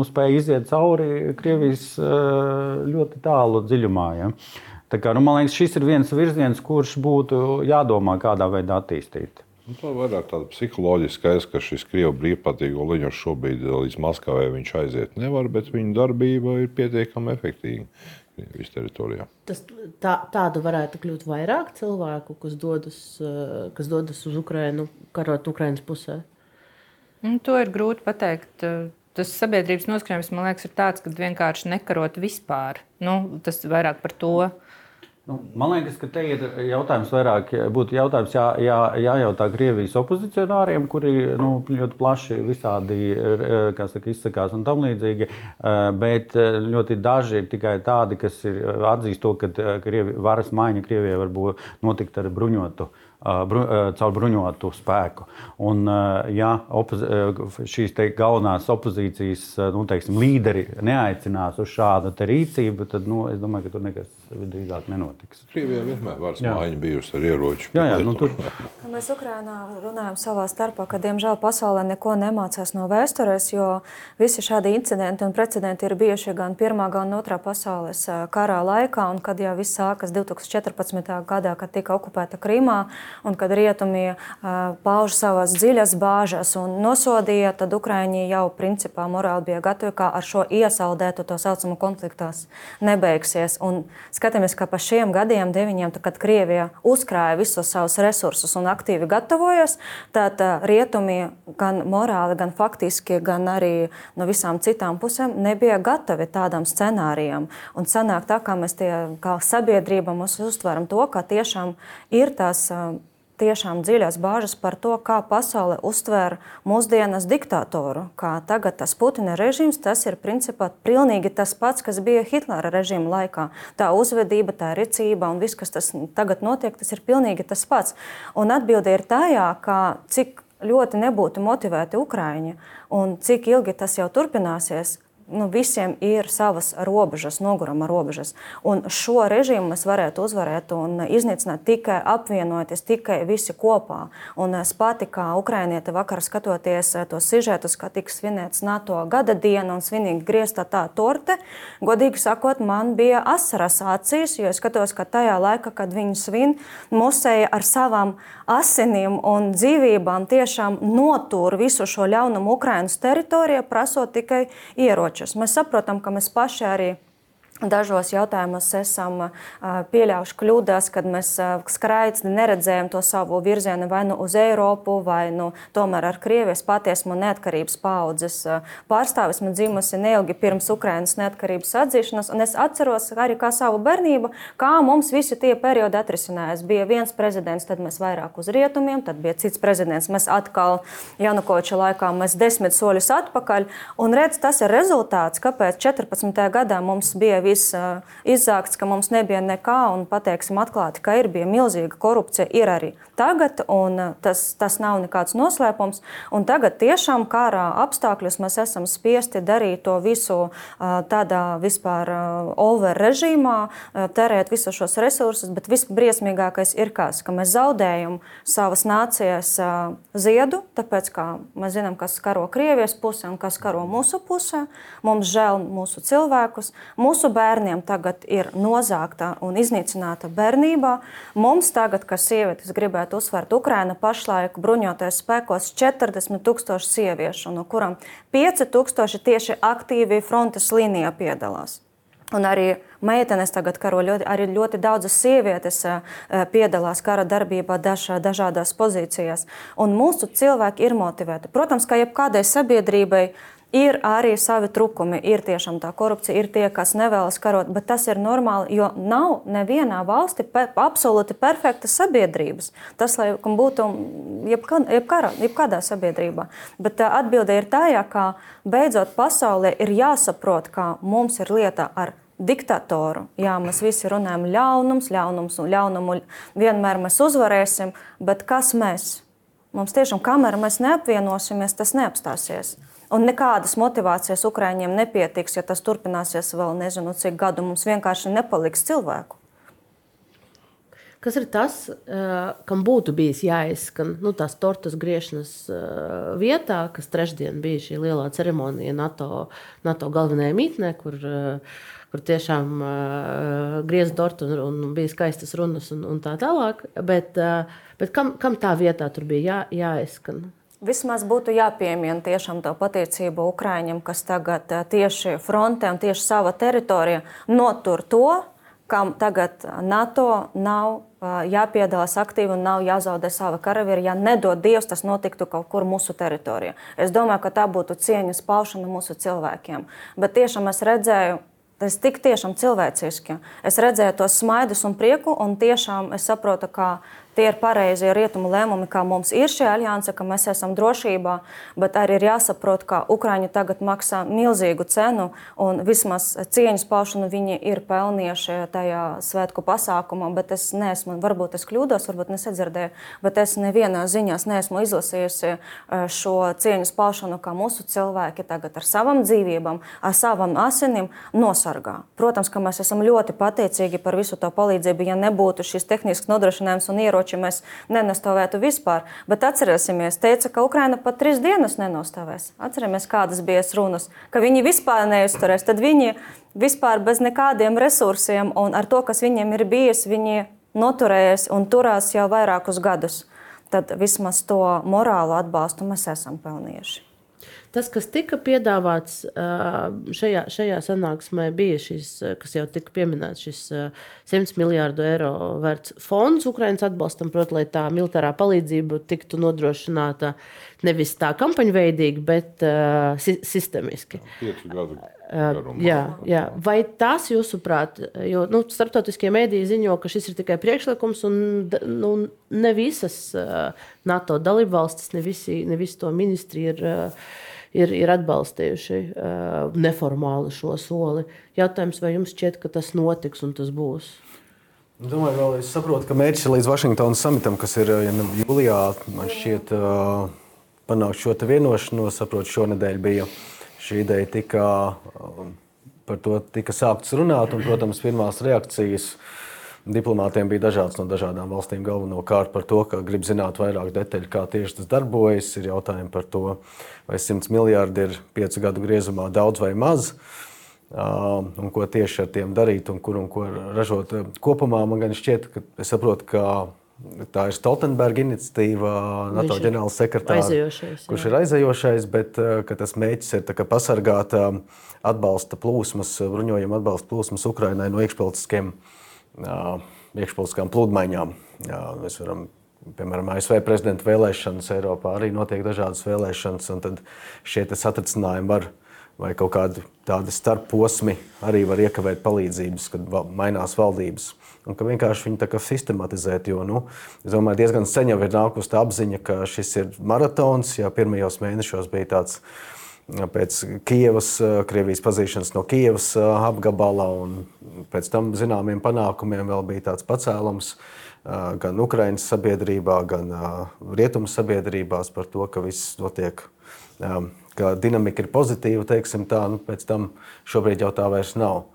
spēja iziet cauri Krievijas ļoti tālu dziļumā. Ja? Tā kā, man liekas, šis ir viens virziens, kurš būtu jādomā, kādā veidā attīstīt. Tā vairāk tāda psiholoģiska, ka šis Krievu brīvprātīgo liņu šobrīd līdz Maskavai viņš aiziet nevar, bet viņa darbība ir pietiekami efektīva Krievijas teritorijā. Tādu varētu kļūt vairāk cilvēku, kas dodas uz Ukrainu, karot Ukrainas pusē? To ir grūti pateikt. Tas sabiedrības noskaņojums, man liekas, ir tāds, ka vienkārši nekarot vispār. Tas vairāk par to. Man liekas, ka te ir jautājums vairāk, būtu jautājums jājautā Krievijas opozicionāriem, kuri ļoti plaši visādi izsakās un tam līdzīgi, bet ļoti daži ir tikai tādi, kas atzīst to, ka varas maiņa Krievijai var notikt ar caur bruņotu spēku. Un, ja šīs galvenās opozīcijas līderi neaicinās uz šādu rīcību, tad es domāju, ka tur nekas drīzāk nenotiks. nenotiks. Krievijā vienmēr varas mājiņa bijusi ar ieroču. Tur... Mēs Ukrainā runājam savā starpā, ka, diemžēl, pasaulē neko nemācās no vēstures, jo visi šādi incidenti un precedenti ir bijuši gan Pirmā, gan Otrā pasaules karā laikā, un kad jau viss sākas 2014. gadā, kad tika okupēta Krimā, un kad rietumi pauž savas dziļas bāžas un nosodīja, tad Ukraiņi jau principā morāli bija gatavi, kā ar šo iesaldētu to saucamu konfliktās nebeigsies. Un skatāmies, ka pa šiem gadiem 9, kad Krievija uzkrāja visus savus resursus un aktīvi gatavojas, tad rietumi gan morāli, gan faktiski, gan arī no visām citām pusēm nebija gatavi tādam scenārijam. Un sanāk tā, kā mēs kā sabiedrība mums uztveram to, ka tiešām ir tās tiešām dziļās bāžas par to, kā pasaule uztver mūsdienas diktatoru. Kā tagad tas Putina režīms, tas ir principā pilnīgi tas pats, kas bija Hitlera režīma laikā. Tā uzvedība, tā rīcība un viss, kas tas tagad notiek, tas ir pilnīgi tas pats. Un atbilde ir tajā, ka cik ļoti nebūtu motivēti Ukraiņi un cik ilgi tas jau turpināsies, visiem ir savas robežas, noguruma robežas. Un šo režīmu mēs varētu uzvarēt un iznīcināt tikai apvienoties, tikai visi kopā. Un es pati kā ukrainiete vakar skatoties tos sižetus, kā tika svinēts NATO gada diena un svinīgi griezta tā torte, godīgi sakot, man bija asaras acīs, jo es skatos, ka tajā laikā, kad viņi svin, musēja ar savām asinīm un dzīvībām tiešām notur visu šo ļaunumu Ukrainas teritorijā, prasot tikai ieroči. Mēs saprotam, ka mēs paši arī dažos jautājumos esam pieļaujuši kļūdas, kad mēs skraidni neredzējam to savu virzienu vai nu uz Eiropu, vai nu tomēr ar Krievijas pati esmu neatkarības paaudzes pārstāvis. Man dzimusi neilgi pirms Ukrainas neatkarības atzīšanas, un es atceros arī kā savu bērnību, kā mums visi tie periodi atrisinājās. Bija viens prezidents, tad mēs vairāk uz rietumiem, tad bija cits prezidents, mēs atkal Janukoviča laikā mēs 10 soļus atpakaļ, un redz, tas ir rezultāts, kāpēc 14. gadā mums bija viss izzākts, ka mums nebija nekā, un pateiksim atklāti, ka bija milzīga korupcija, ir arī tagad, un tas nav nekāds noslēpums. Un tagad tiešām kara apstākļos mēs esam spiesti darīt to visu tādā vispār over režīmā, terēt visus šos resursus, bet visbriesmīgākais ir kas, ka mēs zaudējam savas nācijas ziedu, tāpēc, kā mēs zinām, kas karo Krievijas pusē un kas karo mūsu pusē, mums žēl mūsu cilvēkus, mūsu bērniem tagad ir nozāgta un iznīcināta bērnībā. Mums tagad, kas sievietes gribētu uzsvērt, Ukraina pašlaik bruņoties spēkos 40,000 sieviešu, no kurām 5,000 tieši aktīvi frontes līnijā piedalās. Un arī meitenes tagad karo, arī ļoti daudzas sievietes piedalās kara darbībā dažādās pozīcijās. Un mūsu cilvēki ir motivēti. Protams, ka jebkādai sabiedrībai ir arī savi trūkumi, ir tiešām tā korupcija, ir tie, kas nevēlas karot, bet tas ir normāli, jo nav nevienā valsti absolūti perfektas sabiedrības. Tas, lai būtu jebkādā sabiedrībā. Bet atbilde ir tajā, ka beidzot pasaulē ir jāsaprot, ka mums ir lieta ar diktatoru. Jā, mēs visi runājam ļaunums un ļaunumu vienmēr mēs uzvarēsim, bet kas mēs? Mums tiešām, kamēr mēs neapvienosimies, tas neapstāsies. Un nekādas motivācijas Ukraiņiem nepietiks, ja tas turpināsies vēl nezinu cik gadu. Mums vienkārši nepaliks cilvēku. Kas ir tas, kam būtu bijis jāizskan tās tortas griešanas vietā, kas trešdien bija šī lielā ceremonija NATO galvenajā mītnē, kur tiešām grieza tortu un bija skaistas runas un tā tālāk. Bet kam tā vietā tur bija jāizskan? Vismaz būtu jāpiemina tiešām to pateicību Ukraiņiem, kas tagad tieši frontē un tieši sava teritorija notur to, kam tagad NATO nav jāpiedalās aktīvi un nav jāzaudē sava karavīra. Ja nedod Dievs, tas notiktu kaut kur mūsu teritorijā. Es domāju, ka tā būtu cieņas paušana mūsu cilvēkiem. Bet tiešām es redzēju, tas tik tiešām cilvēciski. Es redzēju tos smaidus un prieku, un tiešām es saprotu, ka tie ir pareizie rietumu lēmumi, kā mums ir šī alianse, ka mēs esam drošībā, bet arī ir jāsaprot, ka Ukraiņi tagad maksā milzīgu cenu un vismaz cieņas paušanu viņi ir pelnījuši tajā svētku pasākumā, bet es neesmu, varbūt es kļūdos, varbūt nesadzirdēju, bet es nevienā ziņās neesmu izlasījusi šo cieņas paušanu, kā mūsu cilvēki tagad ar savam dzīvībām, ar savam asinim nosargā. Protams, ka mēs esam ļoti pateicīgi par visu to palīdzību, ja nebūtu šis tehnisks nodrošinājums un ieroči, mēs nenostāvētu vispār. Bet atcerēsimies, teica, ka Ukraina pat 3 dienas nenostāvēs. Atceramies, kādas bija runas, ka viņi vispār neizturēs. Tad viņi vispār bez nekādiem resursiem un ar to, kas viņiem ir bijis, viņi noturējas un turās jau vairākus gadus. Tad vismaz to morālu atbalstu mēs esam pelnījuši. Tas, kas tika piedāvāts šajā sanāksmē, bija šis, kas jau tika pieminēts, šis 100 miljārdu eiro vērts fonds Ukrainas atbalstam, proti, lai tā militārā palīdzība tiktu nodrošināta nevis tā kampaņveidīgi, bet sistemiski. 5 gadu garumā. Jā. Vai tas, jūsuprāt, jo starptautiskie mēdīji ziņo, ka šis ir tikai priekšlikums un ne visas NATO dalībvalstis, ne visi to ministri ir atbalstījuši neformāli šo soli. Jautājums, vai jums šķiet, ka tas notiks un tas būs? Domāju, vēl es saprotu, ka mērķis līdz Vašingtonas samitam, kas ir jūlijā, man šķiet panākt šo te vienošanos. Saprotu, šonedēļ bija šī ideja par to tika sākts runāt, un, protams, pirmās reakcijas diplomātiem bija dažādas no dažādām valstīm, galvenokārt par to, ka grib zināt vairāk detaļu, kā tieši tas darbojas. Ir jautājumi par to, vai 100 miljārdi ir 5 gadu griezumā daudz vai maz, un ko tieši ar tiem darīt un ko ražot. Kopumā man gan šķiet, ka es saprotu, ka tā ir Stoltenberga iniciatīva, NATO ģenerāls sekretārs, kurš ir aizējošais, bet ka tas mēģis ir pasargāt atbalsta plūsmas, bruņojuma atbalsta plūsmas Ukrainai no iekšpolitiskām plūdmaiņām. Mēs varam, piemēram, ASV prezidenta vēlēšanas, Eiropā arī notiek dažādas vēlēšanas, un tad šie satricinājumi vai kaut kādi tādi starpposmi arī var iekavēt palīdzības, kad mainās valdības. Un ka vienkārši viņi tā kā sistematizēt, jo, es domāju, diezgan sen jau ir nākusi tā apziņa, ka šis ir maratons, ja pirmajos mēnešos bija tāds pēc Kijevas, Krievijas pazīšanas no Kijevas apgabala, un pēc tam zināmiem panākumiem vēl bija tāds pacēlums gan Ukrainas sabiedrībā, gan rietumu sabiedrībās par to, ka viss notiek, ka dinamika ir pozitīva, teiksim tā, pēc tam šobrīd jau tā vairs nav.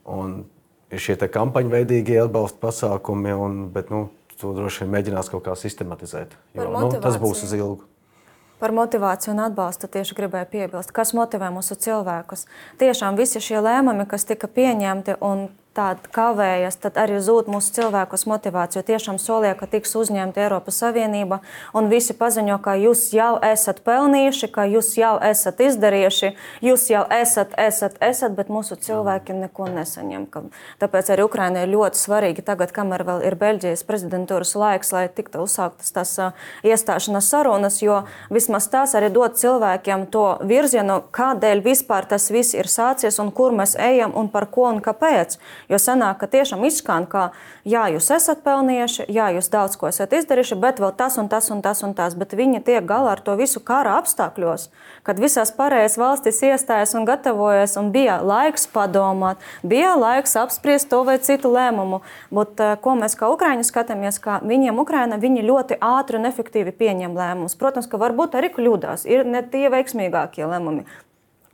Un ir šie te kampaņveidīgie atbalsta pasākumi, bet to droši vien mēģinās kaut kā sistematizēt, jo tas būs uz ilgu. Par motivāciju un atbalstu tieši gribēju piebilst. Kas motivē mūsu cilvēkus? Tiešām visi šie lēmumi, kas tika pieņemti un tādi kavējas, tad arī zūd mūsu cilvēkus motivāciju. Tiešām solīja, ka tiks uzņemta Eiropas Savienība un visi paziņo, ka jūs jau esat pelnījuši, ka jūs jau esat izdarījuši, jūs jau esat, bet mūsu cilvēki neko nesaņem. Tāpēc arī Ukrainai ir ļoti svarīgi tagad, kamēr vēl ir Beļģijas prezidentūras laiks, lai tiktu uzsāktas tās iestāšanās sarunas, jo vismaz tās arī dod cilvēkiem to virzienu, kādēļ vispār tas viss ir sācies un kur mēs ejam un par ko un kāpēc. Jo sanāk, ka tiešām izskan, ka jā, jūs esat pelnījuši, jā, jūs daudz ko esat izdarījuši, bet vēl tas un tas un tas un tas. Bet viņi tiek galā ar to visu kara apstākļos, kad visās pārējās valstis iestājas un gatavojas un bija laiks padomāt, bija laiks apspriest to vai citu lēmumu. Bet ko mēs kā Ukraiņi skatāmies, ka viņiem Ukraina, viņi ļoti ātri un efektīvi pieņem lēmumus. Protams, ka varbūt arī kļūdās, ir ne tie veiksmīgākie lēmumi.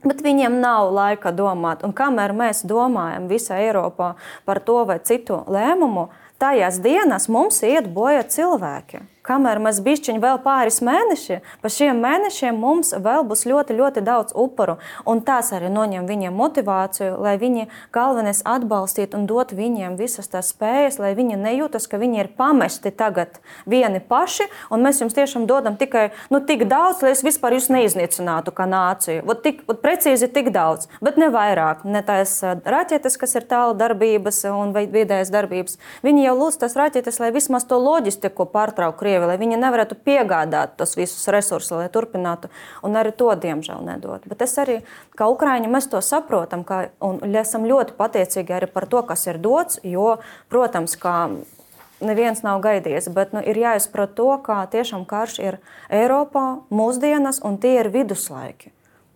Bet viņiem nav laika domāt. Un kamēr mēs domājam visā Eiropā par to vai citu lēmumu, tajās dienās mums iet bojā cilvēki. Kamēr mēs bišķiņi vēl pāris mēneši, pa šiem mēnešiem mums vēl būs ļoti, ļoti daudz upuru. Un tas arī noņem viņiem motivāciju, lai viņi galvenais atbalstītu un dot viņiem visas tās spējas, lai viņi nejūtas, ka viņi ir pamesti tagad vieni paši, un mēs jums tiešām dodam tikai tik daudz, lai es vispār jūs neiznīcinātu kā nāciju. Ot precīzi tik daudz, bet ne vairāk. Ne tās raķetes, kas ir tālu darbības un vidējas darbības. Viņi jau lūdz tās raķetes, lai vismaz to loģistiku pārtraukt, lai viņi nevarētu piegādāt tos visus resursus, lai turpinātu, un arī to, diemžēl, nedod. Bet es arī, kā Ukraiņi, mēs to saprotam, un esam ļoti pateicīgi arī par to, kas ir dots, jo, protams, kā neviens nav gaidījis, bet ir jāizprot to, ka tiešām karš ir Eiropā, mūsdienas, un tie ir viduslaiki.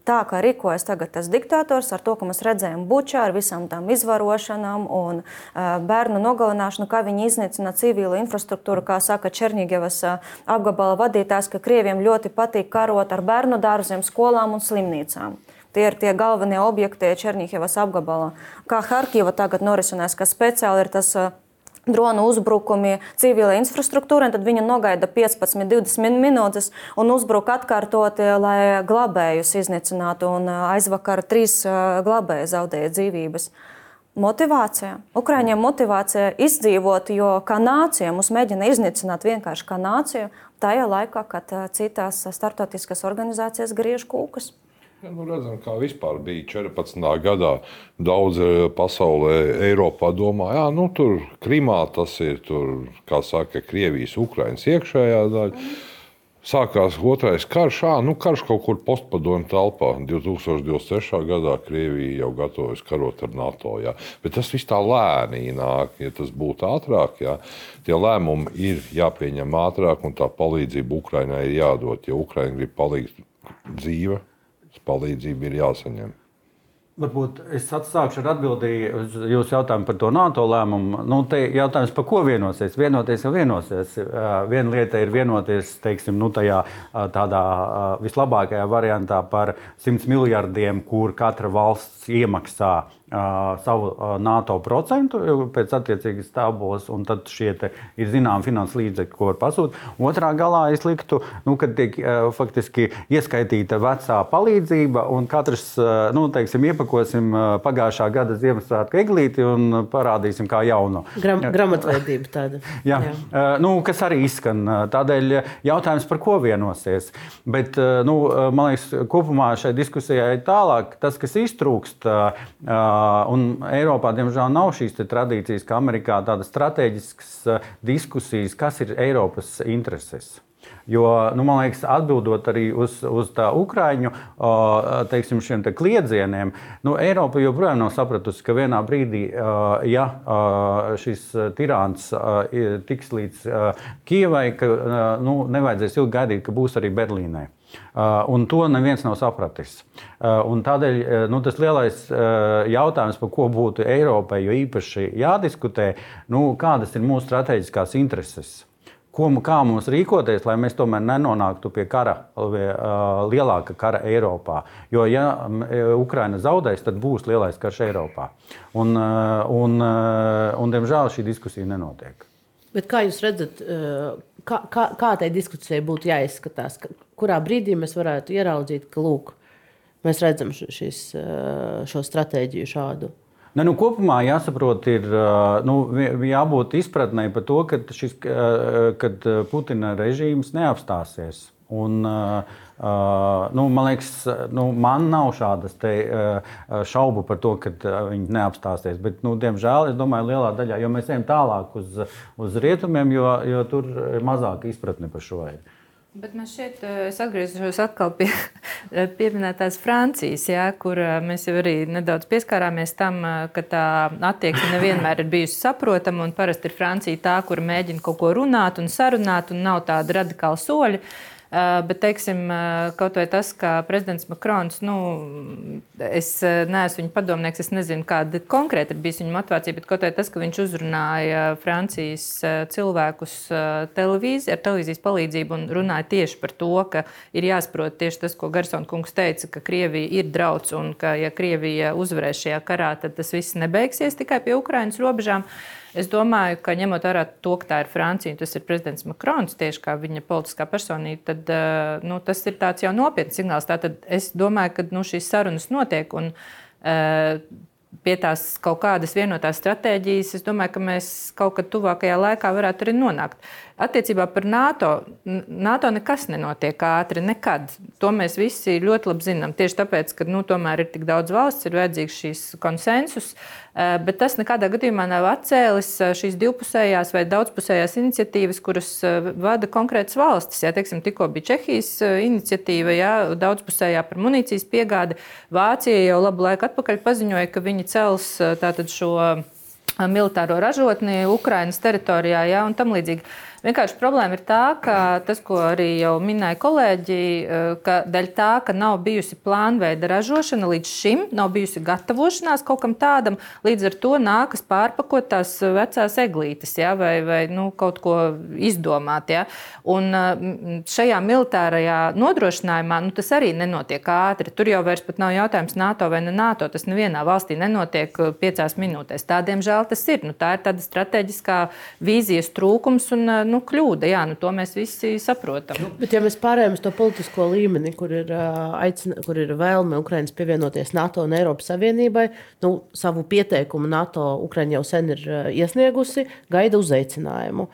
Tā kā rīkojas tagad tas diktators ar to, ko mēs redzējām Bučā, ar visām tām izvarošanām un bērnu nogalināšanu, kā viņi iznīcina civilu infrastruktūru, kā saka Černigevas apgabala vadītājs, ka Krieviem ļoti patīk karot ar bērnu dārziem, skolām un slimnīcām. Tie ir tie galvenie objekti Černigevas apgabalā. Kā Harkiva tagad norisinās, ka speciāli ir tas dronu uzbrukumi civilai infrastruktūrai, tad viņi nogaida 15-20 minūtes un uzbruk atkārtoti, lai glabējus iznīcinātu. Un aizvakar 3 glabēji zaudēja dzīvības. Motivācija. Ukraiņiem motivācija izdzīvot, jo kā nācija mūs mēģina iznīcināt vienkārši kā nāciju, tajā laikā, kad citās starptautiskas organizācijas griež kūkas. Ja, redzam, kā vispār bija 14. gadā. Daudz pasaulē, Eiropā domā, tur Krimā tas ir, kā saka, Krievijas, Ukrainas iekšējā daļa. Sākās otrais karš, karš kaut kur postpadomju telpā. 2023. gadā Krievija jau gatavojas karot ar NATO. Jā. Bet tas viss tā lēni nāk, ja tas būtu ātrāk. Jā. Tie lēmumi ir jāpieņem ātrāk un tā palīdzība Ukrainai ir jādod. Ja Ukraina grib palikt dzīve, palīdzība ir jāsaņem. Varbūt es atsākšu ar atbildi uz jūsu jautājumu par to NATO lēmumu. Te jautājums, par ko vienosies? Vienoties jau vienosies. Viena lieta ir vienoties, teiksim, tajā tādā vislabākajā variantā par 100 miljardiem, kur katra valsts iemaksā savu NATO procentu pēc attiecīgas tabulas, un tad šie ir zināmi finanses līdzekļi, ko var pasūtīt. Otrā galā es liktu, kad tiek faktiski ieskaitīta vecā palīdzība, un katrs, iepakosim pagājušā gada Ziemassvētku eglīti un parādīsim kā jaunu. Gramatveidība tāda. Jā. Kas arī izskan. Tādēļ jautājums, par ko vienosies. Bet, man liekas, kopumā šai diskusijai tālāk, tas, kas iztrūkst, un Eiropā, diemžēl, nav šīs tradīcijas, kā Amerikā, tādas strateģiskas diskusijas, kas ir Eiropas intereses. Jo, man liekas, atbildot arī uz tā Ukraiņu, teiksim, šiem kliedzieniem, Eiropa joprojām nav sapratusi, ka vienā brīdī, ja šis tirāns tiks līdz Kijevai, ka nevajadzēs ilgi gaidīt, ka būs arī Berlīnē. Un to neviens nav sapratis. Un tādēļ tas lielais jautājums, par ko būtu Eiropai jo īpaši jādiskutē, kādas ir mūsu strateģiskās intereses. Kā mums rīkoties, lai mēs tomēr nenonāktu pie kara, lielāka kara Eiropā. Jo, ja Ukraina zaudēs, tad būs lielais karš Eiropā. Un diemžēl, šī diskusija nenotiek. Bet kā jūs redzat, kā tai diskusijai būtu jāizskatās? Kurā brīdī mēs varētu ieraudzīt, ka mēs redzam šo stratēģiju šādu? Kopumā jāsaprot, ir jābūt izpratnei par to, kad Putina režīms neapstāsies. Un, man liekas, man nav šādas šaubu par to, ka viņi neapstāsies. Bet, diemžēl, es domāju, lielā daļā, jo mēs ejam tālāk uz rietumiem, jo tur ir mazāka izpratne par šo. Bet man šķiet, es atgriezīšos atkal pie pieminētās Francijas, kur mēs jau arī nedaudz pieskārāmies tam, ka tā attieksme nevienmēr ir bijusi saprotama, un parasti ir Francija tā, kur mēģina kaut ko runāt un sarunāt, un nav tāda radikāla soļa. Bet, teiksim, kaut vai tas, ka prezidents Makrons, es neesmu viņa padomnieks, es nezinu, kāda konkrēti ir bijusi viņa motivācija, bet kaut vai tas, ka viņš uzrunāja Francijas cilvēkus ar televīzijas palīdzību un runāja tieši par to, ka ir jāsaprot tieši tas, ko Garsona kungs teica, ka Krievija ir drauds un ka, ja Krievija uzvarēs šajā karā, tad tas viss nebeigsies tikai pie Ukrainas robežām. Es domāju, ka ņemot vērā to, ka tā ir Francija un tas ir prezidents Makrons, tieši kā viņa politiskā personība, tad tas ir tāds jau nopietns signāls. Tātad es domāju, ka šīs sarunas notiek un pie tās kaut kādas vienotās stratēģijas, es domāju, ka mēs kaut kad tuvākajā laikā varētu arī nonākt. Attiecībā par NATO nekas nenotiek ātri, nekad. To mēs visi ļoti labi zinām. Tieši tāpēc, ka tomēr ir tik daudz valsts, ir vajadzīgs šīs konsensus, bet tas nekādā gadījumā nav atcēlis šīs divpusējās vai daudzpusējās iniciatīvas, kuras vada konkrētas valstis. Teiksim, tikko bija Čehijas iniciatīva, daudzpusējā par munīcijas piegādi. Vācija jau labu laiku atpakaļ paziņoja, ka viņi cels tātad šo militāro ražotni Ukrainas teritorijā, ja, un tam līdzīgi. Vienkārši problēma ir tā, ka tas, ko arī jau minēja kolēģi, ka daļa tā, ka nav bijusi plānveida ražošana līdz šim, nav bijusi gatavošanās kaut kam tādam, līdz ar to nākas pārpakot tās vecās eglītes, ja, vai kaut ko izdomāt. Ja. Un šajā militārajā nodrošinājumā tas arī nenotiek ātri. Tur jau vairs pat nav jautājums NATO vai ne NATO. Tas nevienā valstī nenotiek 5 minūtēs. Tā, diemžēl, tas ir. Tā ir tāda strateģiskā vīzijas trūkums un kļūda, jā, to mēs visi saprotam. Bet ja mēs pārējām uz to politisko līmeni, kur ir vēlme Ukrainas pievienoties NATO un Eiropas Savienībai, savu pieteikumu NATO Ukraina jau sen ir iesniegusi, gaida uzaicinājumu.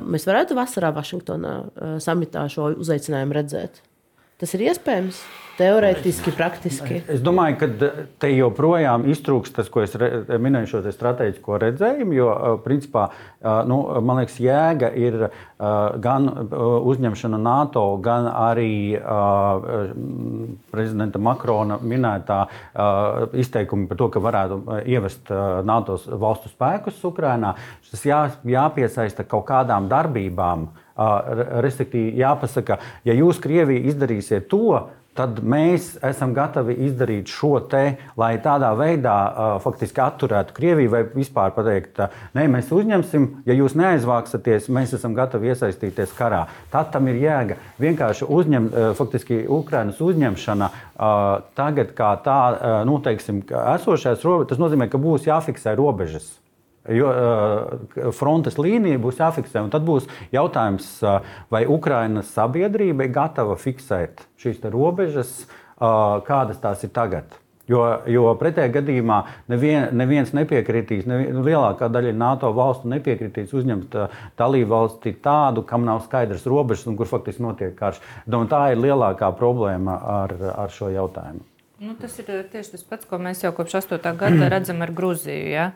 Mēs varētu vasarā Vašingtonā samitā šo uzaicinājumu redzēt. Tas ir iespējams? Teorētiski, praktiski. Es domāju, ka te joprojām iztrūkst tas, ko es minēju, šo strateģisko redzējumu, jo, principā, man liekas, jēga ir gan uzņemšana NATO, gan arī prezidenta Makrona minētā izteikumi par to, ka varētu ievest NATO valstu spēkus Ukrainā. Tas jāpiesaista kaut kādām darbībām. Respektīvi, jāpasaka, ja jūs Krievija izdarīsiet to, tad mēs esam gatavi izdarīt šo te, lai tādā veidā faktiski atturētu Krieviju vai vispār pateikt, nē, mēs uzņemsim, ja jūs neaizvāksaties, mēs esam gatavi iesaistīties karā. Tad tam ir jēga. Vienkārši faktiski Ukrainas uzņemšana tagad kā tā, teiksim, esošais robežas, tas nozīmē, ka būs jāfiksē robežas. Jo frontes līnija būs jāfiksē, un tad būs jautājums, vai Ukrainas sabiedrība ir gatava fiksēt šīs robežas, kādas tās ir tagad. Jo pretējā gadījumā neviens nepiekritīs, lielākā daļa NATO valstu nepiekritīs uzņemt dalību valsti tādu, kam nav skaidrs robežas un kur faktiski notiek karš. Tā ir lielākā problēma ar šo jautājumu. Tas ir tieši tas pats, ko mēs jau kopš 8. gada redzam ar Gruziju. Ja?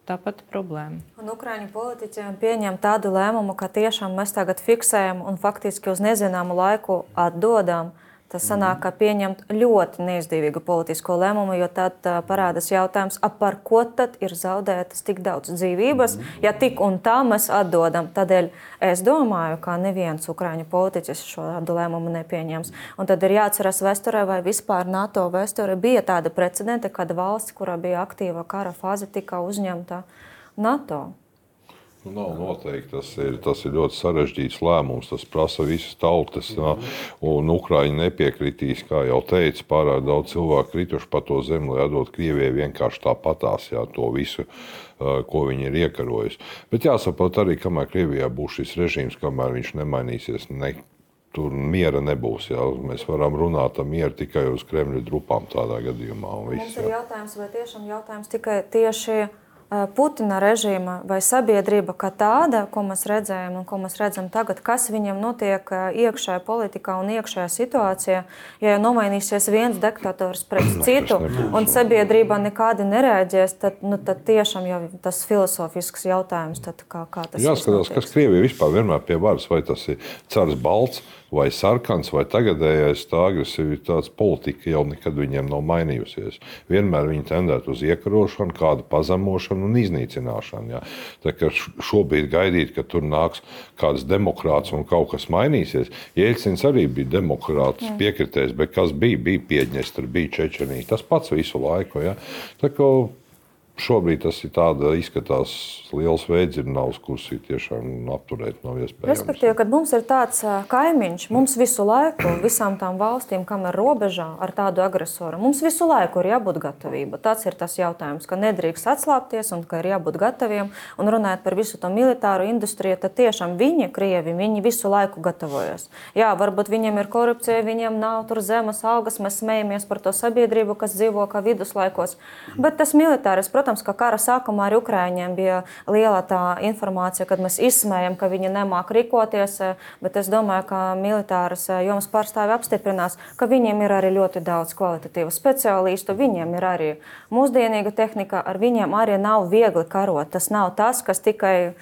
Tāpat problēma. Un Ukraiņu politiķiem pieņem tādu lēmumu, ka tiešām mēs tagad fiksējam un faktiski uz nezināmu laiku atdodam. Tas sanāk, ka pieņemt ļoti neizdevīgu politisko lēmumu, jo tad parādās jautājums, par ko tad ir zaudētas tik daudz dzīvības, ja tik un tā mēs atdodam. Tādēļ es domāju, ka neviens Ukraiņu politiķis šādu lēmumu nepieņems. Un tad ir jāatceras vēsturē, vai vispār NATO vēsturē bija tāda precedente, kad valsts, kurā bija aktīva kara fāze, tika uzņemta NATO. Nav noteikti. Tas ir ļoti sarežģīts lēmums. Tas prasa visas tautas. Un Ukraiņi nepiekritīs, kā jau teicu, pārāk daudz cilvēku krituši pa to zemi, lai atdot Krievijai vienkārši tāpatās to visu, ko viņi ir iekarojuši. Bet jāsaprot arī, kamēr Krievijā būs šis režīms, kamēr viņš nemainīsies, tur miera nebūs. Jā. Mēs varam runāt ar mieru tikai uz Kremļa drupām tādā gadījumā. Mums ir jautājums, vai tiešām jautājums tikai tieši Putina režīma vai sabiedrība kā tāda, ko mēs redzējām un ko mēs redzam tagad, kas viņam notiek iekšējā politikā un iekšējā situācijā, ja jau nomainīsies viens diktators pret citu un sabiedrība nekādi nereaģēs, tad tiešām jau tas filosofisks jautājums, tad kā tas jāskatās, kas Krievija vispār vienmēr pie varas, vai tas ir cars balts, vai sarkans, vai tagadējais, tā agresivitātes politika jau nekad viņiem nav mainījusies. Vienmēr viņi tendētu uz iekarošanu, kādu pazemošanu un iznīcināšanu. Jā. Tā kā šobrīd gaidīt, ka tur nāks kāds demokrāts un kaut kas mainīsies. Jeļcins arī bija demokrāts piekritējis, bet kas bija? Bija Piedņestra, bija Čečenija. Tas pats visu laiku. Jā. Tā kā šobrīd tas ir tāda, izskatās liels veidzirnavs, kurus ir tiešām apturēt nav iespējams. Respektīvi, kad mums ir tāds kaimiņš, mums visu laiku, visām tām valstīm, kam ir robežā ar tādu agresoru, mums visu laiku ir jābūt gatavība. Tas ir tas jautājums, ka nedrīkst atslāpties un ka ir jābūt gataviem. Un runājot par visu to militāru industriju, tad tiešām Krievi, viņi visu laiku gatavojas. Jā, varbūt viņiem ir korupcija, viņiem nav tur zemes algas, mēs smejamies par to sabiedrību, kas dzīvo kā viduslaikos. Bet tas militāris, protams, ka kara sākumā ar Ukraiņiem bija liela tā informācija, kad mēs izsmējam, ka viņi nemāk rīkoties, bet es domāju, ka militāras jomas pārstāvi apstiprinās, ka viņiem ir arī ļoti daudz kvalitatīvu speciālistu, viņiem ir arī mūsdienīga tehnika, ar viņiem arī nav viegli karot. Tas nav tas, kas tikai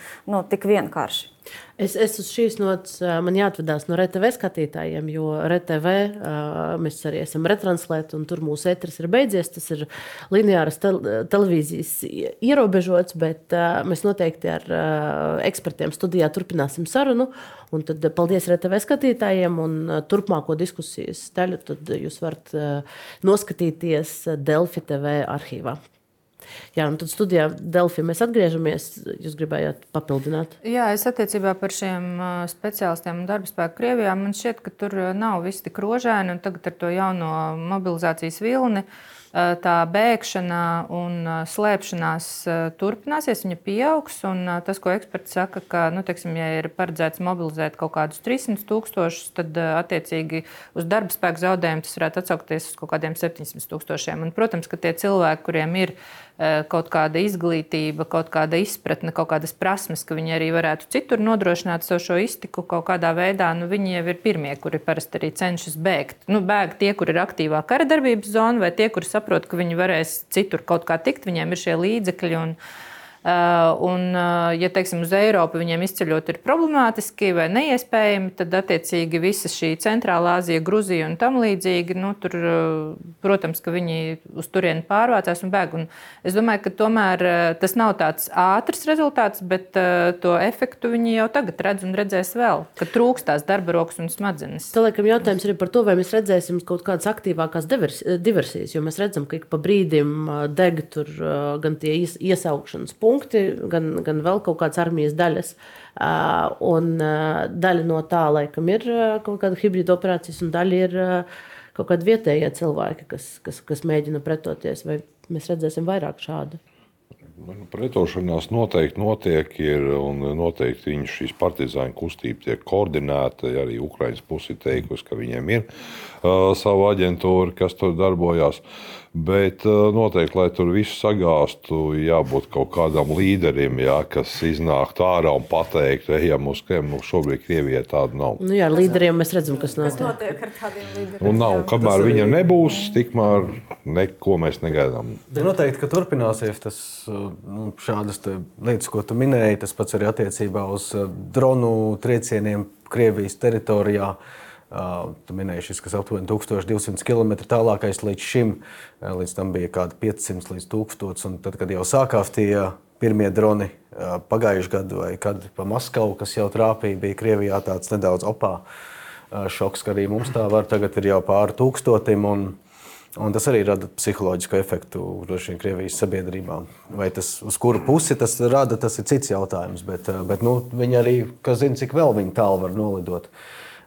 tik vienkārši. Es uz šīs nots man jāatvedās no RTV skatītājiem, jo RTV mēs arī esam retranslēti, un tur mūsu ēteris ir beidzies. Tas ir lineāras televīzijas ierobežots, bet mēs noteikti ar ekspertiem studijā turpināsim sarunu. Un tad paldies RTV skatītājiem, un turpmāko diskusijas daļu tad jūs varat noskatīties Delfi TV arhīvā. Jā, un tad studijā Delfi mēs atgriežamies. Jūs gribējāt papildināt? Jā, es attiecībā par šiem speciālistiem un darba spēku Krievijā, man šķiet, ka tur nav viss tik rožaini, un tagad ar to jauno mobilizācijas vilni tā bēgšana un slēpšanās turpināsies, viņa pieaugs. Un tas, ko eksperti saka, ka, ja ir paredzēts mobilizēt kaut kādus 300,000, tad attiecīgi uz darba spēku zaudējumu tas varētu atsaukties uz kaut kādiem 700,000. Un, protams, ka tie cilvēki, kuriem ir kaut kāda izglītība, kaut kāda izpratne, kaut kādas prasmes, ka viņi arī varētu citur nodrošināt savu šo iztiku kaut kādā veidā, viņi jau ir pirmie, kuri parasti arī cenšas bēgt. Bēg tie, kur ir aktīvā kara darbības zona, vai tie, kuri saprot, ka viņi varēs citur kaut kā tikt, viņiem ir šie līdzekļi. Un, ja teiksim, uz Eiropu viņiem izceļot ir problemātiski vai neiespējami, tad attiecīgi visa šī Centrālā Āzija, Gruzija un tam līdzīgi, tur, protams, ka viņi uz turieni pārvācās un bēg. Un es domāju, ka tomēr tas nav tāds ātrs rezultāts, bet to efektu viņi jau tagad redz un redzēs vēl, ka trūkst tās darba rokas un smadzenes. Tā laikam jautājums ir par to, vai mēs redzēsim kaut kādas aktīvākās diversijas, jo mēs redzam, ka ik pa brīdim deg tur gan tie iesaukšanas punkti, gan vēl kaut kādas armijas daļas. Un daļa no tā, laikam, ir kaut kāda hibrīda operācijas, un daļa ir kaut kādi vietējie cilvēki, kas mēģina pretoties. Vai mēs redzēsim vairāk šādu? Pretošanās noteikti notiek, un noteikti viņu šīs partizāņu kustība tiek koordinēta. Arī Ukrainas pusi teikusi, ka viņiem ir sava aģentūra, kas tur darbojās. Bet noteikti, lai tur visu sagāstu, jābūt kaut kādam līderim, kas iznāktu ārā un pateiktu, ejam uz Kremlu. Šobrīd Krievijai tāda nav. Jā, ar līderiem mēs redzam, kas notiek ar tādiem līderiem. Un nav, kamēr viņam nebūs, tikmēr neko mēs negaidām. Noteikti, ka turpināsies tas, šādas lietas, ko tu minēji, tas pats arī attiecībā uz dronu triecieniem Krievijas teritorijā. Tu minēji šis, kas aptuveni 1200 km tālākais līdz šim, līdz tam bija kādi 500 līdz 1000, un tad, kad jau sākās tie pirmie droni pagājuši gadu vai kad pa Maskavu, kas jau trāpīja, bija Krievijā tāds nedaudz šoks, ka arī mums tā var, tagad ir jau pāri 1000, un tas arī rada psiholoģisku efektu droši vien Krievijas sabiedrībā. Vai tas, uz kuru pusi tas rada, tas ir cits jautājums, bet viņi arī, kas zina, cik vēl viņi tālu var nolidot.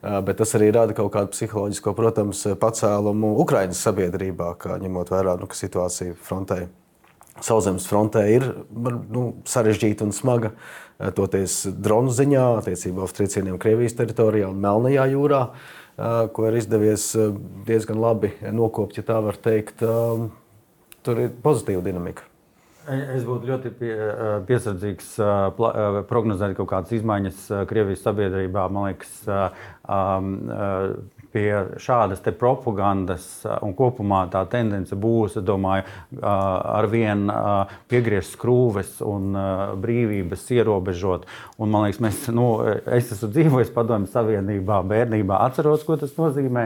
Bet tas arī rada kaut kādu psiholoģisko, protams, pacēlumu Ukrainas sabiedrībā, kā ņemot vērā, ka situācija frontē, sauszemes frontē ir sarežģīta un smaga, toties dronu ziņā, attiecībā uz triecieniem Krievijas teritorijā un Melnajā jūrā, ko ir izdevies diezgan labi nokopt, ja tā var teikt. Tur ir pozitīva dinamika. Es būtu ļoti piesardzīgs prognozēt kaut kādas izmaiņas Krievijas sabiedrībā. Man liekas, pie šādas te propagandas un kopumā tā tendence būs, es domāju, arvien piegriezt skrūves un brīvības ierobežot. Un man liekas, es esmu dzīvojis Padomju Savienībā, bērnībā, atceros, ko tas nozīmē.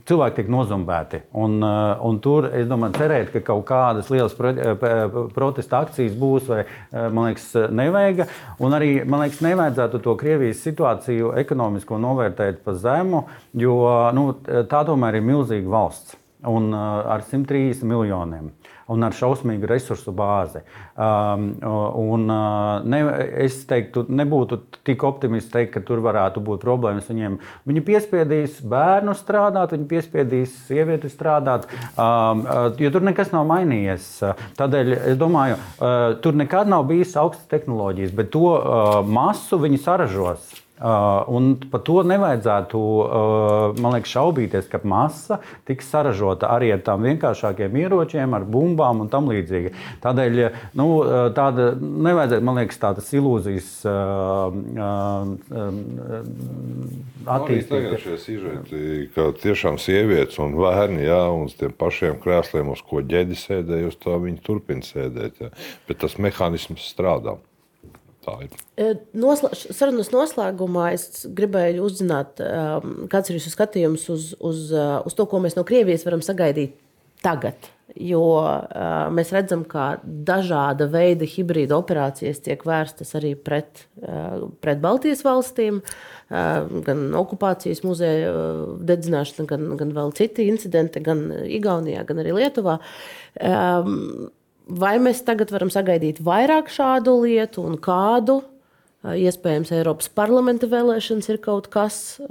Cilvēki tiek nozumbēti. Un tur, es domāju, cerēt, ka kaut kādas lielas protesta akcijas būs, vai, man liekas, nevajag. Un arī, man liekas, nevajadzētu to Krievijas situāciju ekonomisko novērtēt pa zemu, jo tā tomēr ir milzīga valsts un ar 130 miljoniem un ar šausmīgu resursu bāzi. Es teiktu, nebūtu tik optimisti teikt, ka tur varētu būt problēmas viņiem. Viņi piespiedīs bērnu strādāt, viņi piespiedīs sievieti strādāt, jo tur nekas nav mainījies. Tādēļ, es domāju, tur nekad nav bijis augstas tehnoloģijas, bet to masu viņi saražos. Un par to nevajadzētu, man liekas, šaubīties, ka masa tiks saražota arī ar tām vienkāršākiem ieročiem, ar bumbām un tam līdzīgi. Tādēļ, tāda nevajadzētu, man liekas, tādas ilūzijas attīstīt. Arī tagad šie sižeti, ka tiešām sievietes un bērni, un uz tiem pašiem krēsliem, uz ko ģedi sēdēja, uz tā viņi turpina sēdēt. Bet tas mehānisms strādā. Tā ir. Sarunas noslēgumā es gribēju uzzināt, kāds ir jūsu skatījums uz to, ko mēs no Krievijas varam sagaidīt tagad. Jo mēs redzam, ka dažāda veida hibrīda operācijas tiek vērstas arī pret Baltijas valstīm, gan okupācijas muzeja dedzināšana, gan vēl citi incidenti, gan Igaunijā, gan arī Lietuvā. Vai mēs tagad varam sagaidīt vairāk šādu lietu un kādu? Iespējams, Eiropas parlamenta vēlēšanas ir kaut kas,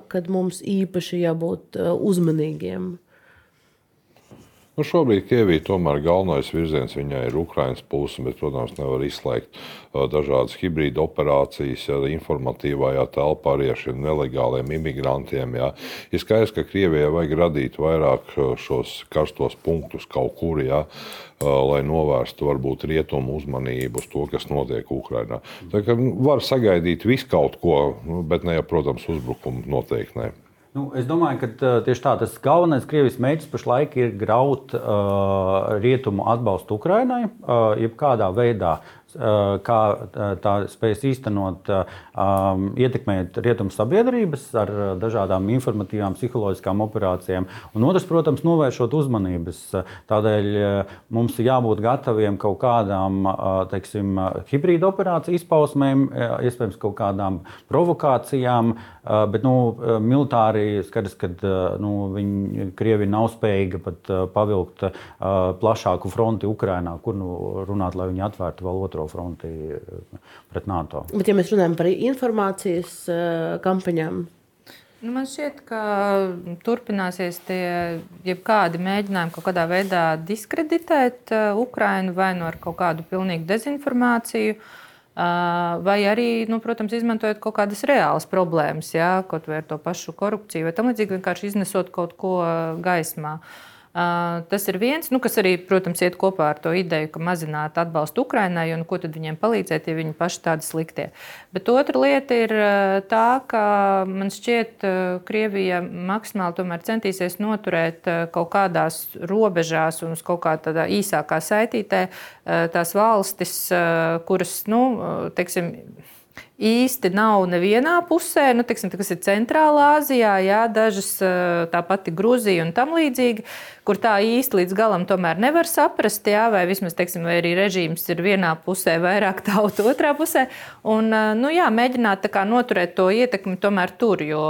kad mums īpaši jābūt uzmanīgiem. Šobrīd Krievija tomēr galvenais virziens viņai ir Ukrainas puse, bet, protams, nevar izslēgt dažādas hibrīda operācijas, informatīvajā telpā arī ar šiem nelegāliem imigrantiem. Jā. Ir skaidrs, ka Krievijai vajag radīt vairāk šos karstos punktus kaut kur, jā, lai novērstu varbūt rietumu uzmanību uz to, kas notiek Ukrainā. Tā kā var sagaidīt visu kaut ko, bet ne, protams, uzbrukumu noteikti ne. Es domāju, ka tieši tā, tas galvenais Krievijas mērķis pašlaik ir graut rietumu atbalstu Ukrainai, jebkādā veidā, kā tā spējas īstenot, ietekmēt rietumu sabiedrības ar dažādām informatīvām, psiholoģiskām operācijām. Un otrs, protams, novēršot uzmanības. Tādēļ mums ir jābūt gataviem kaut kādām, teiksim, hibrīda operāciju izpausmēm, iespējams kaut kādām provokācijām, bet, militāri skaidrs, ka Krievija nav spējīga pat pavilkt plašāku fronti Ukrainā, kur runāt, lai viņi atvērtu vēl otro fronti pret NATO. Bet, ja mēs runājam par informācijas kampaņām? Man šķiet, ka turpināsies tie jebkādi mēģinājumi kaut kādā veidā diskreditēt Ukrainu vai ar kaut kādu pilnīgu dezinformāciju, vai arī, protams, izmantojot kaut kādas reālas problēmas, jā, kaut vai ar to pašu korupciju, vai tam līdzīgi vienkārši iznesot kaut ko gaismā. Tas ir viens, kas arī, protams, iet kopā ar to ideju, ka mazināt atbalstu Ukrainai, un ko tad viņiem palīdzēt, ja viņi paši tādi sliktie. Bet otra lieta ir tā, ka man šķiet, Krievija maksimāli tomēr centīsies noturēt kaut kādās robežās un uz kaut kā tādā īsākā saitītē tās valstis, kuras, teiksim, īsti nav nevienā pusē, teiksim, kas ir Centrālā Āzijā, jā, dažas tā pati Gruzija un tam līdzīgi, kur tā īsti līdz galam tomēr nevar saprast, jā, vai vismaz, teiksim, vai arī režīms ir vienā pusē, vairāk tautu otrā pusē. Un, mēģināt tā kā noturēt to ietekmi tomēr tur, jo,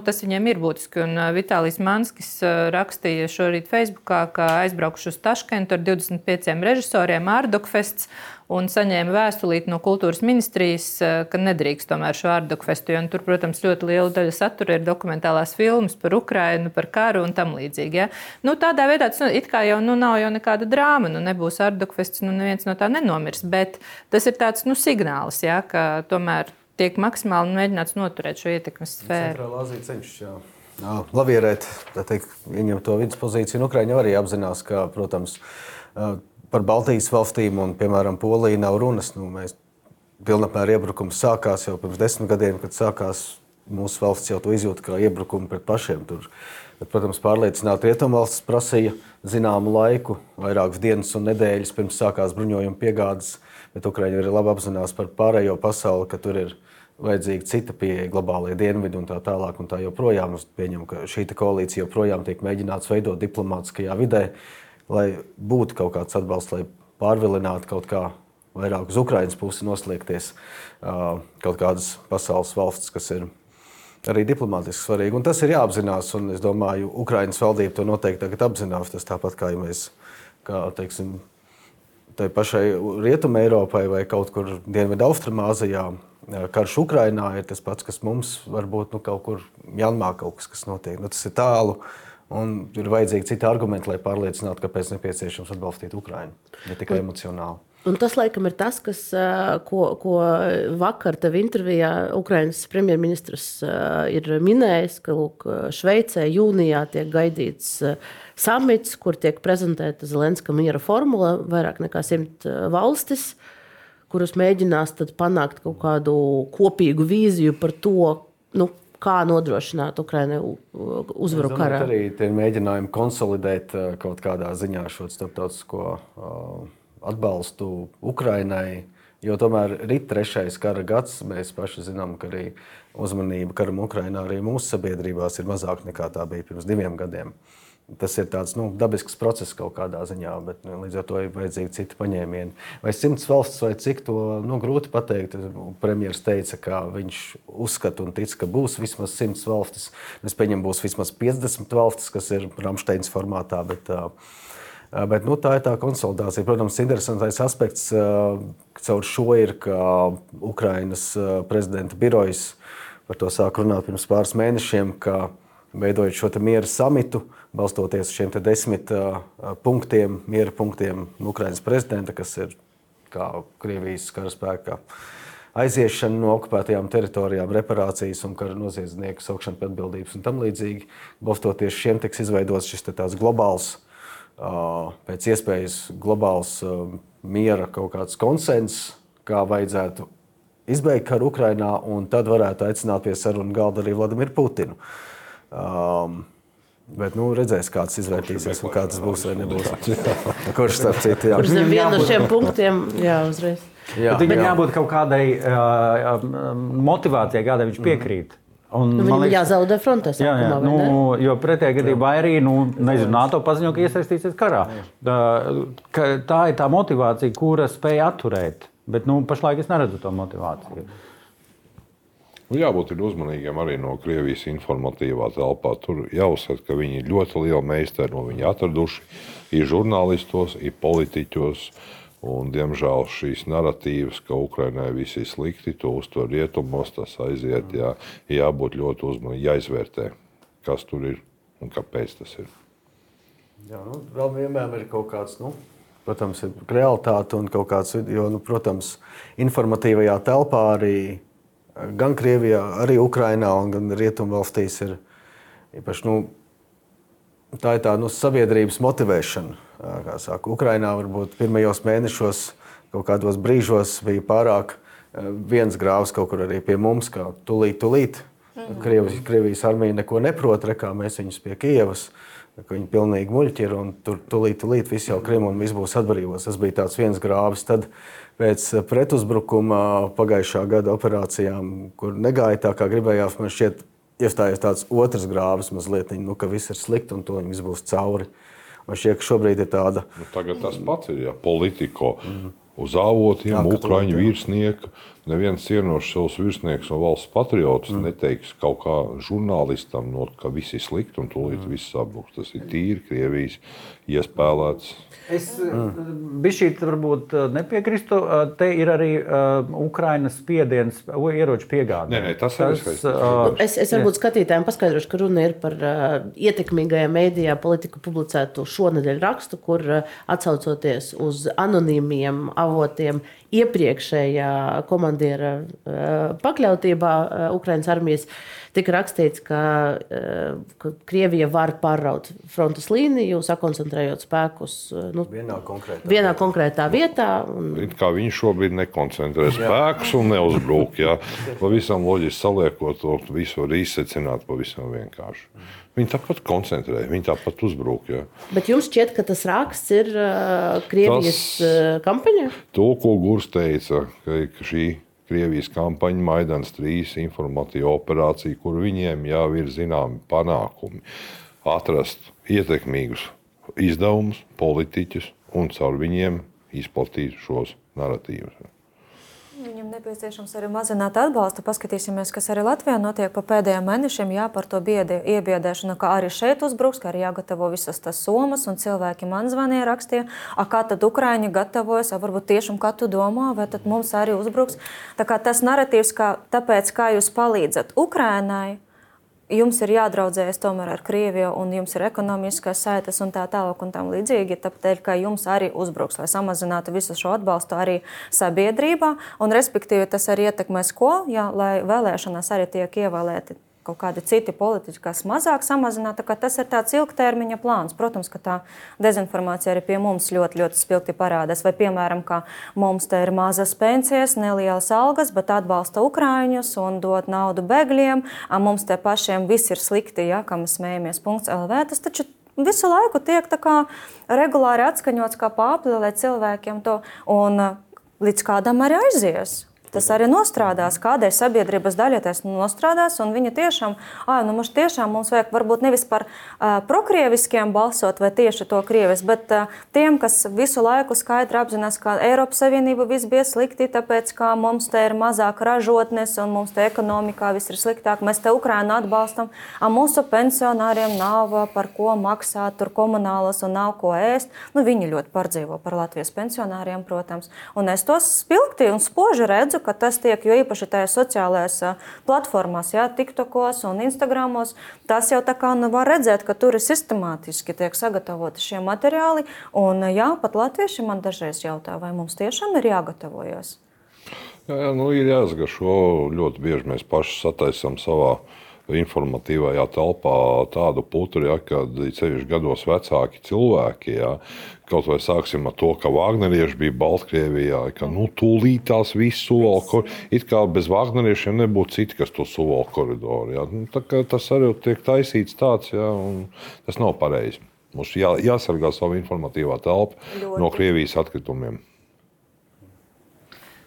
tas viņiem ir būtiski. Un Vitālijs Manskis rakstīja šorīt Facebookā, ka aizbraukuši uz Taškentu ar 25 režisoriem Ārdokfests un saņēma vēstulīti no kultūras ministrijas, ka nedrīkst tomēr šo Ārdokfestu, jo tur, protams, ļoti liela daļa satura ir dokumentālās filmas par Ukrainu, par karu un tam līdzīgi. Ja? Tādā veidā tas it kā jau nav jau nekāda drāma, nebūs Ārdokfests, neviens no tā nenomirs, bet tas ir tāds signāls, ja, ka tomēr tiek maksimāli mēģināts noturēt šo ietekmes sfēru. Centrālā Azija cenšas lavierēt, ieņem to viduspozīciju, un Ukraiņa arī apzinās, ka, protams, par Baltijas valstīm un, piemēram, Poliju nav runas. Mēs pilnapmēra iebrukums sākās jau pirms 10 gadiem, kad sākās mūsu valsts jau to izjūta kā iebrukumu pret pašiem tur. Bet, protams, pārliecināt rietumvalstis prasīja zināmu laiku, vairākas dienas un nedēļas pirms sākās bruņojuma piegādes, bet Ukraiņa arī labi apzinās par pārējo pasauli, ka tur ir vajadzīga cita pieeja, globālie dienvidi un tā tālāk un tā joprojām. Es pieņemu, ka šī koalīcija joprojām tiek mēģināts veidot diplomātiskajā vidē, lai būtu kaut kāds atbalsts, lai pārvilinātu kaut kā vairāk uz Ukrainas pusi nosliekties kaut kādas pasaules valsts, kas ir arī diplomātiski svarīgi. Un tas ir jāapzinās, un es domāju, Ukrainas valdība to noteikti tagad apzinās. Tas tāpat kā, ja mēs, teiksim, tai pašai Rietuma Eiropai vai kaut kur Dienvidu Austrumāzijā karš Ukrainā ir tas pats, kas mums varbūt kaut kur Mjanmā kaut kas notiek. Tas ir tālu. Un ir vajadzīgi citi argumenti, lai pārliecinātu, kāpēc nepieciešams atbalstīt Ukrainu, ne tikai emocionāli. Un tas, laikam, ir tas, ko vakar tev intervijā Ukrainas premjerministrs ir minējis, ka Šveicē jūnijā tiek gaidīts samits, kur tiek prezentēta Zelenska miera formula, vairāk nekā 100 valstis, kuras mēģinās tad panākt kaut kādu kopīgu vīziju par to, kā nodrošināt Ukrainai uzvaru karā. Arī tie mēģinājumi konsolidēt kaut kādā ziņā šo starptautisko atbalstu Ukrainai, Jo tomēr ir 3. kara gads. Mēs paši zinām, ka arī uzmanība karam Ukrainā arī mūsu sabiedrībās ir mazāk nekā tā bija pirms 2 gadiem. Tas ir tāds dabisks process kaut kādā ziņā, bet līdz ar to ir vajadzīgi citi paņēmieni. Vai 100 valsts vai cik, to grūti pateikt. Premjers teica, ka viņš uzskata un tic, ka būs vismaz 100 valstis. Es pieņemu, būs vismaz 50 valstis, kas ir Ramsteins formātā, bet tā ir tā konsolidācija. Protams, interesantais aspekts caur šo ir, ka Ukrainas prezidenta birojas par to sāk runāt pirms pāris mēnešiem, ka veidojot šo miera samitu, balstoties uz šiem 10 punktiem, miera punktiem Ukrainas prezidenta, kas ir kā Krievijas karaspēka aiziešana no okupētajām teritorijām, reparācijas un kara noziedznieku saukšana pie atbildības un tam līdzīgi. Balstoties šiem tiks izveidots šis tāds globāls, pēc iespējas globāls miera kaut kāds konsenss, kā vajadzētu izbeigt karu Ukrainā, un tad varētu aicināt pie sarunu galda arī Vladimiru Putinu. Bet redzēs, kāds izvērtīsies un kā tas būs vai nebūs. Kurš starp citu, jā. Kurš vienu no šiem punktiem, jā, uzreiz. Viņam jābūt kaut kādai motivācijai, kādai viņš piekrīt. Viņam jāzaudē frontē sākumā, vai ne? Jo pretējā gadījumā arī, NATO paziņo, ka iesaistīsies karā. Tā ir tā motivācija, kura spēja atturēt. Bet pašlaik es neredzu to motivāciju. Jābūt uzmanīgiem arī no Krievijas informatīvā telpā. Tur jāuzsver, ka viņi ir ļoti lieli meistari, un viņi atraduši ir žurnālistos, ir politiķos. Un, diemžēl šīs narratīvas, ka Ukrainai viss ir slikti, to uztver rietumos, tas aiziet. Jābūt ļoti uzmanīgi, jāizvērtē, kas tur ir un kāpēc tas ir. Jā, vēl vienmēr ir kaut kāds, protams, ir realitāte un kaut kāds, jo, protams, informatīvajā telpā arī gan Krievijā, arī Ukrainā un gan Rietumvalstīs ir īpaši, tā ir tā sabiedrības motivēšana. Kā saka, Ukrainā varbūt pirmajos mēnešos, kaut kādos brīžos bija pārāk viens grāvs kaut kur arī pie mums, kā tulīt. Krievijas armija neko neprot, kā mēs viņus pie Kijevas, ka viņi pilnīgi muļķi ir un tur tulīt viss jau Krimu un viss būs atbrīvots. Tas bija tāds viens grāvis. Tad pēc pretuzbrukuma pagājušā gada operācijām, kur negāja tā, kā gribējās, man šķiet, iestājies tāds otrs grāvis mazliet, ka viss ir slikti un to viss būs cauri. Man šķiet, ka šobrīd ir tāda... Tagad tas pats ir, Politiko uz avotiem, Ukraiņu virsnieku. Neviens cienošs savus virsniekus un valsts patriotus neteiks kaut kā žurnālistam, ka viss ir slikti un tūlīt viss sabruks. Tas ir tīri Krievijas iespēlēts. Es bišķīt varbūt nepiekrīstu. Te ir arī Ukrainas spiediens ieroču piegādē. Nē, tas ir Es varbūt skatītājiem paskaidrošu, ka runa ir par ietekmīgajā mēdījā Politiku publicētu šonedēļ rakstu, kur atsaucoties uz anonīmiem avotiem iepriekšējā komandiera pakļautībā Ukrainas armijas tika rakstīts, ka Krievija var pārraut frontes līniju, sakoncentrējot spēkus vienā konkrētā vietā. It kā viņi šobrīd nekoncentrē spēkus un neuzbrūk. Pavisam loģiski saliekot to visu var izsecināt pavisam vienkārši. Viņi tāpat koncentrē, viņi tāpat uzbrūk. Bet jums šķiet, ka tas raksts ir Krievijas kampaņa? To, ko Gurs teica, ka šī Krievijas kampaņa Maidans 3 informatīva operācija, kur viņiem jau ir zināmi panākumi atrast ietekmīgus izdevumus, politiķus un caur viņiem izplatīt šos narratīvus. Viņam nepieciešams arī mazināt atbalstu. Paskatīsimies, kas arī Latvijā notiek pa pēdējiem mēnešiem. Par to iebiedēšanu, ka arī šeit uzbruks, ka arī jāgatavo visas tas somas, un cilvēki man zvanīja, rakstīja, kā tad Ukraiņi gatavojas, varbūt tiešām kā tu domā, vai tad mums arī uzbruks. Tā kā tas narratīvs, tāpēc, kā jūs palīdzat Ukrainai, jums ir jādraudzējas tomēr ar Krieviju, un jums ir ekonomiskās saites un tā tālāk un tam līdzīgi, tāpēc, ka jums arī uzbruks, lai samazinātu visu šo atbalstu arī sabiedrībā, un respektīvi tas arī ietekmēs ko, lai vēlēšanās arī tiek ievēlēti kaut kādi citi politiķi, kas mazāk samazināt, tā kā tas ir tāds ilgtermiņa plāns. Protams, ka tā dezinformācija arī pie mums ļoti, ļoti spilgti parādās. Vai, piemēram, ka mums te ir mazas pensijas, nelielas algas, bet atbalsta Ukraiņus un dod naudu bēgļiem, mums te pašiem viss ir slikti, kā mēs smējamies .lv. Tas taču visu laiku tiek tā kā regulāri atskaņots kā pāpli, lai cilvēkiem to... Un līdz kādam arī aizies. Tas arī nostrādās, kādai sabiedrības daļai tas nostrādās, un viņi tiešām, mums vajag varbūt nevis par prokrieviskiem balsot vai tieši to krievis, bet tiem, kas visu laiku skaidri apzinās, ka Eiropas Savienība viss bija slikti, tāpēc, ka mums te ir mazāk ražotnes un mums te ekonomikā viss ir sliktāk, mēs te Ukrainu atbalstam, mūsu pensionāriem nav par ko maksāt, tur komunālas un nav ko ēst. Viņi ļoti pārdzīvo par Latvijas pensionāriem, protams, un es tos spilgti un spoži redzu, ka tas tiek, jo īpaši tajās sociālajās platformās, TikTokos un Instagramos, tas jau tā kā var redzēt, ka tur ir sistemātiski tiek sagatavoti šie materiāli, un pat latvieši man dažreiz jautā, vai mums tiešām ir jāgatavojas? Jā, ir jāsagašo, ļoti bieži mēs paši sataisam savā informatīvajā telpā tādu putru, kad ceļš gados vecāki cilvēki, kaut vai sāksim ar to, ka Vāgnerieši bija Baltkrievijā, ka tūlīt tās visu suvalku, it kā bez Vāgneriešiem nebūtu citi, kas to suvalku koridoru. Tā kā tas arī tiek taisīts tāds, un tas nav pareizi. Mums jāsargā savu informatīvā telpa no Krievijas atkritumiem.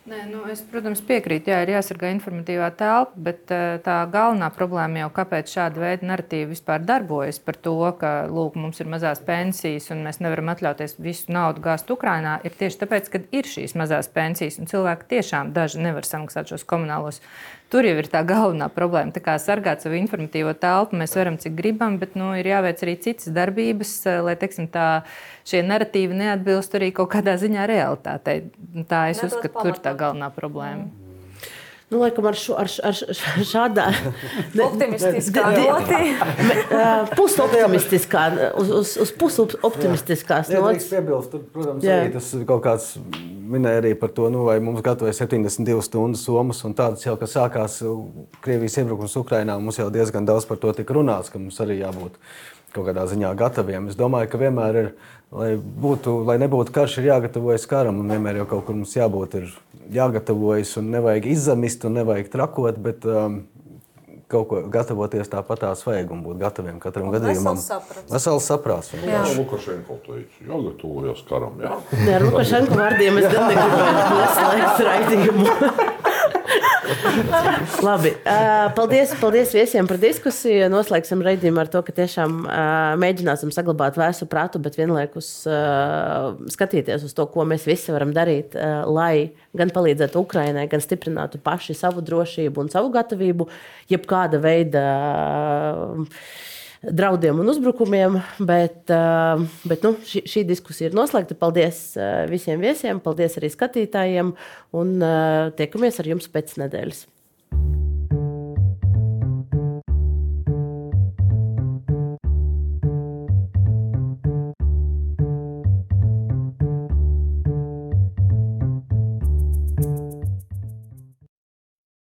Nē, es, protams, piekrītu, ir jāsargā informatīvā telpa, bet tā galvenā problēma jau, kāpēc šāda veida narratīva vispār darbojas par to, ka, lūk, mums ir mazās pensijas un mēs nevaram atļauties visu naudu gāzt Ukrainā, ir tieši tāpēc, ka ir šīs mazās pensijas un cilvēki tiešām daži nevar samaksāt šos komunālos. Tur jau ir tā galvenā problēma. Tā kā sargāt savu informatīvo telpu mēs varam, cik gribam, bet ir jāveic arī citas darbības, lai, teiksim, šie narratīvi neatbilst arī kaut kādā ziņā realitātei. Tā es uzskatu, tur ir tā galvenā problēma. Laikam ar šādā optimistiskā noti. Pusoptimistiskā, uz pusoptimistiskās nots. Piebilst, protams, arī tas kaut kāds minēja arī par to, vai mums gatavoja 72 stundas somas un tādas jau, ka sākās Krievijas iebrukums Ukrainā, mums jau diezgan daudz par to tika runāts, ka mums arī jābūt kaut kādā ziņā gataviem. Es domāju, ka vienmēr ir, lai nebūtu karš, ir jāgatavojas karam, un vienmēr jau kaut kur mums ir jāgatavojas, un nevajag izzamist, un nevajag trakot, bet kaut ko gatavoties tāpatās vajag un būt gataviem katram gadījumam. Vesels saprāts. Lukašenko teica, jāgatavojas karam, jā? Nē, ar Lukašenko vārdiem es gan negribētu noslēgt raidījumu. Labi, paldies viesiem par diskusiju. Noslēgsim raidījumu ar to, ka tiešām mēģināsim saglabāt vēsu prātu, bet vienlaikus skatīties uz to, ko mēs visi varam darīt, lai gan palīdzētu Ukrainai, gan stiprinātu paši savu drošību un savu gatavību, jebkāda veida draudiem un uzbrukumiem, bet šī diskusija ir noslēgta. Paldies visiem viesiem, paldies arī skatītājiem un tiekamies ar jums pēc nedēļas.